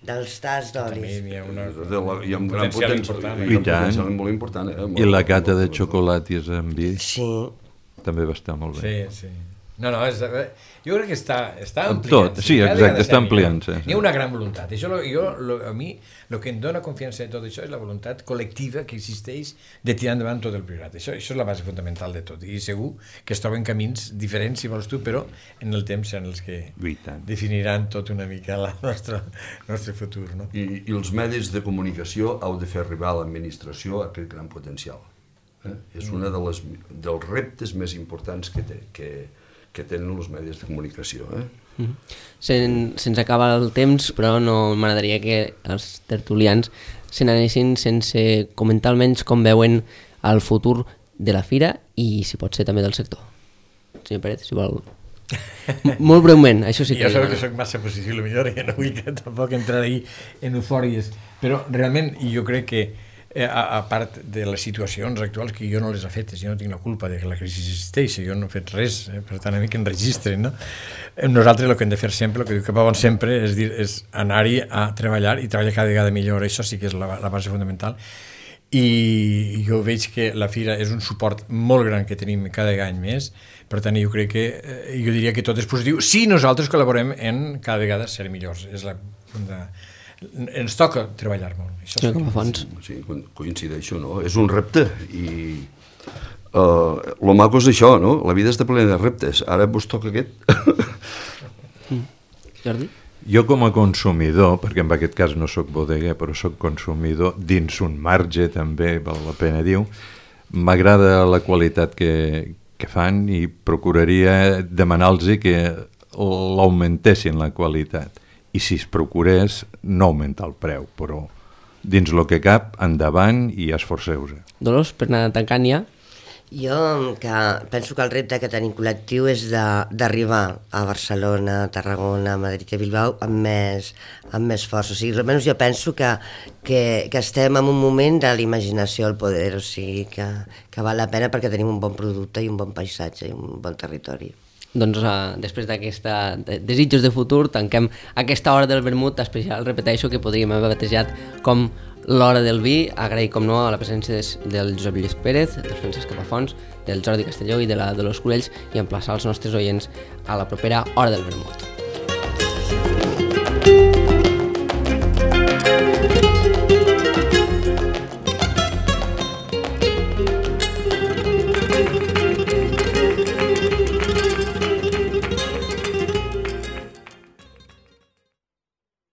dels tas També d'olis. hi ha una... De la, hi ha un gran potencial potencial, important, i I un tant. potencial molt important. Eh? Molt, I la cata de xocolates amb vi Sí. també va estar molt bé. Sí, sí. No, no, és, jo crec que està, està Amb ampliant. tot, sí, exacte, està ampliant-se. Hi ha una gran voluntat. Això, lo, jo, lo, a mi, el que em dona confiança de tot això és la voluntat col·lectiva que existeix de tirar endavant tot el priorat. Això, això és la base fonamental de tot. I segur que es troben camins diferents, si vols tu, però en el temps seran els que I tant. definiran tot una mica el nostre, nostre futur. No? I, I els medis de comunicació heu de fer arribar a l'administració aquest gran potencial. Eh? És un de les, dels reptes més importants que, té, que, que tenen els medis de comunicació. Eh? Mm. Sen, se'ns acaba el temps, però no m'agradaria que els tertulians se n'anessin sense comentar almenys com veuen el futur de la fira i, si pot ser, també del sector. Senyor Pérez, si vol... M- Molt breument, això sí que... Jo sabeu que soc massa positiu, millor, i no vull que tampoc entrar ahí en eufòries, però realment jo crec que eh, a, a part de les situacions actuals que jo no les he fetes, jo no tinc la culpa de que la crisi existeixi, jo no he fet res, eh, per tant a mi que enregistren, no? Eh, Nosaltres el que hem de fer sempre, el que diu que Pavon sempre, és dir, és anar-hi a treballar i treballar cada vegada millor, això sí que és la, la base fonamental, i jo veig que la fira és un suport molt gran que tenim cada any més, per tant jo crec que, eh, jo diria que tot és positiu si nosaltres col·laborem en cada vegada ser millors, és la, la ens toca treballar molt. Això Sí, sí com que- a fons. Sí, co- coincideixo, no? És un repte i uh, lo maco és això, no? La vida està plena de reptes. Ara vos toca aquest. Jordi? Jo com a consumidor, perquè en aquest cas no sóc bodeguer, però sóc consumidor, dins un marge també, val la pena dir-ho, m'agrada la qualitat que, que fan i procuraria demanar-los que l'augmentessin la qualitat. I si es procurés, no augmentar el preu, però dins el que cap, endavant i esforceu-se. Dolors, per anar tancant ja? Jo que penso que el repte que tenim col·lectiu és de- d'arribar a Barcelona, Tarragona, Madrid i Bilbao amb més, amb més força. O sigui, almenys jo penso que, que, que estem en un moment de l'imaginació al poder, o sigui, que, que val la pena perquè tenim un bon producte i un bon paisatge i un bon territori. doncs, uh, després d'aquesta de, desitjos de futur, tanquem aquesta hora del vermut especial, repeteixo, que podríem haver batejat com l'hora del vi. Agrair, com no, a la presència des, del Josep Lluís Pérez, del Francesc Capafons, del Jordi Castelló i de la Dolors Curells, i emplaçar els nostres oients a la propera hora del vermut.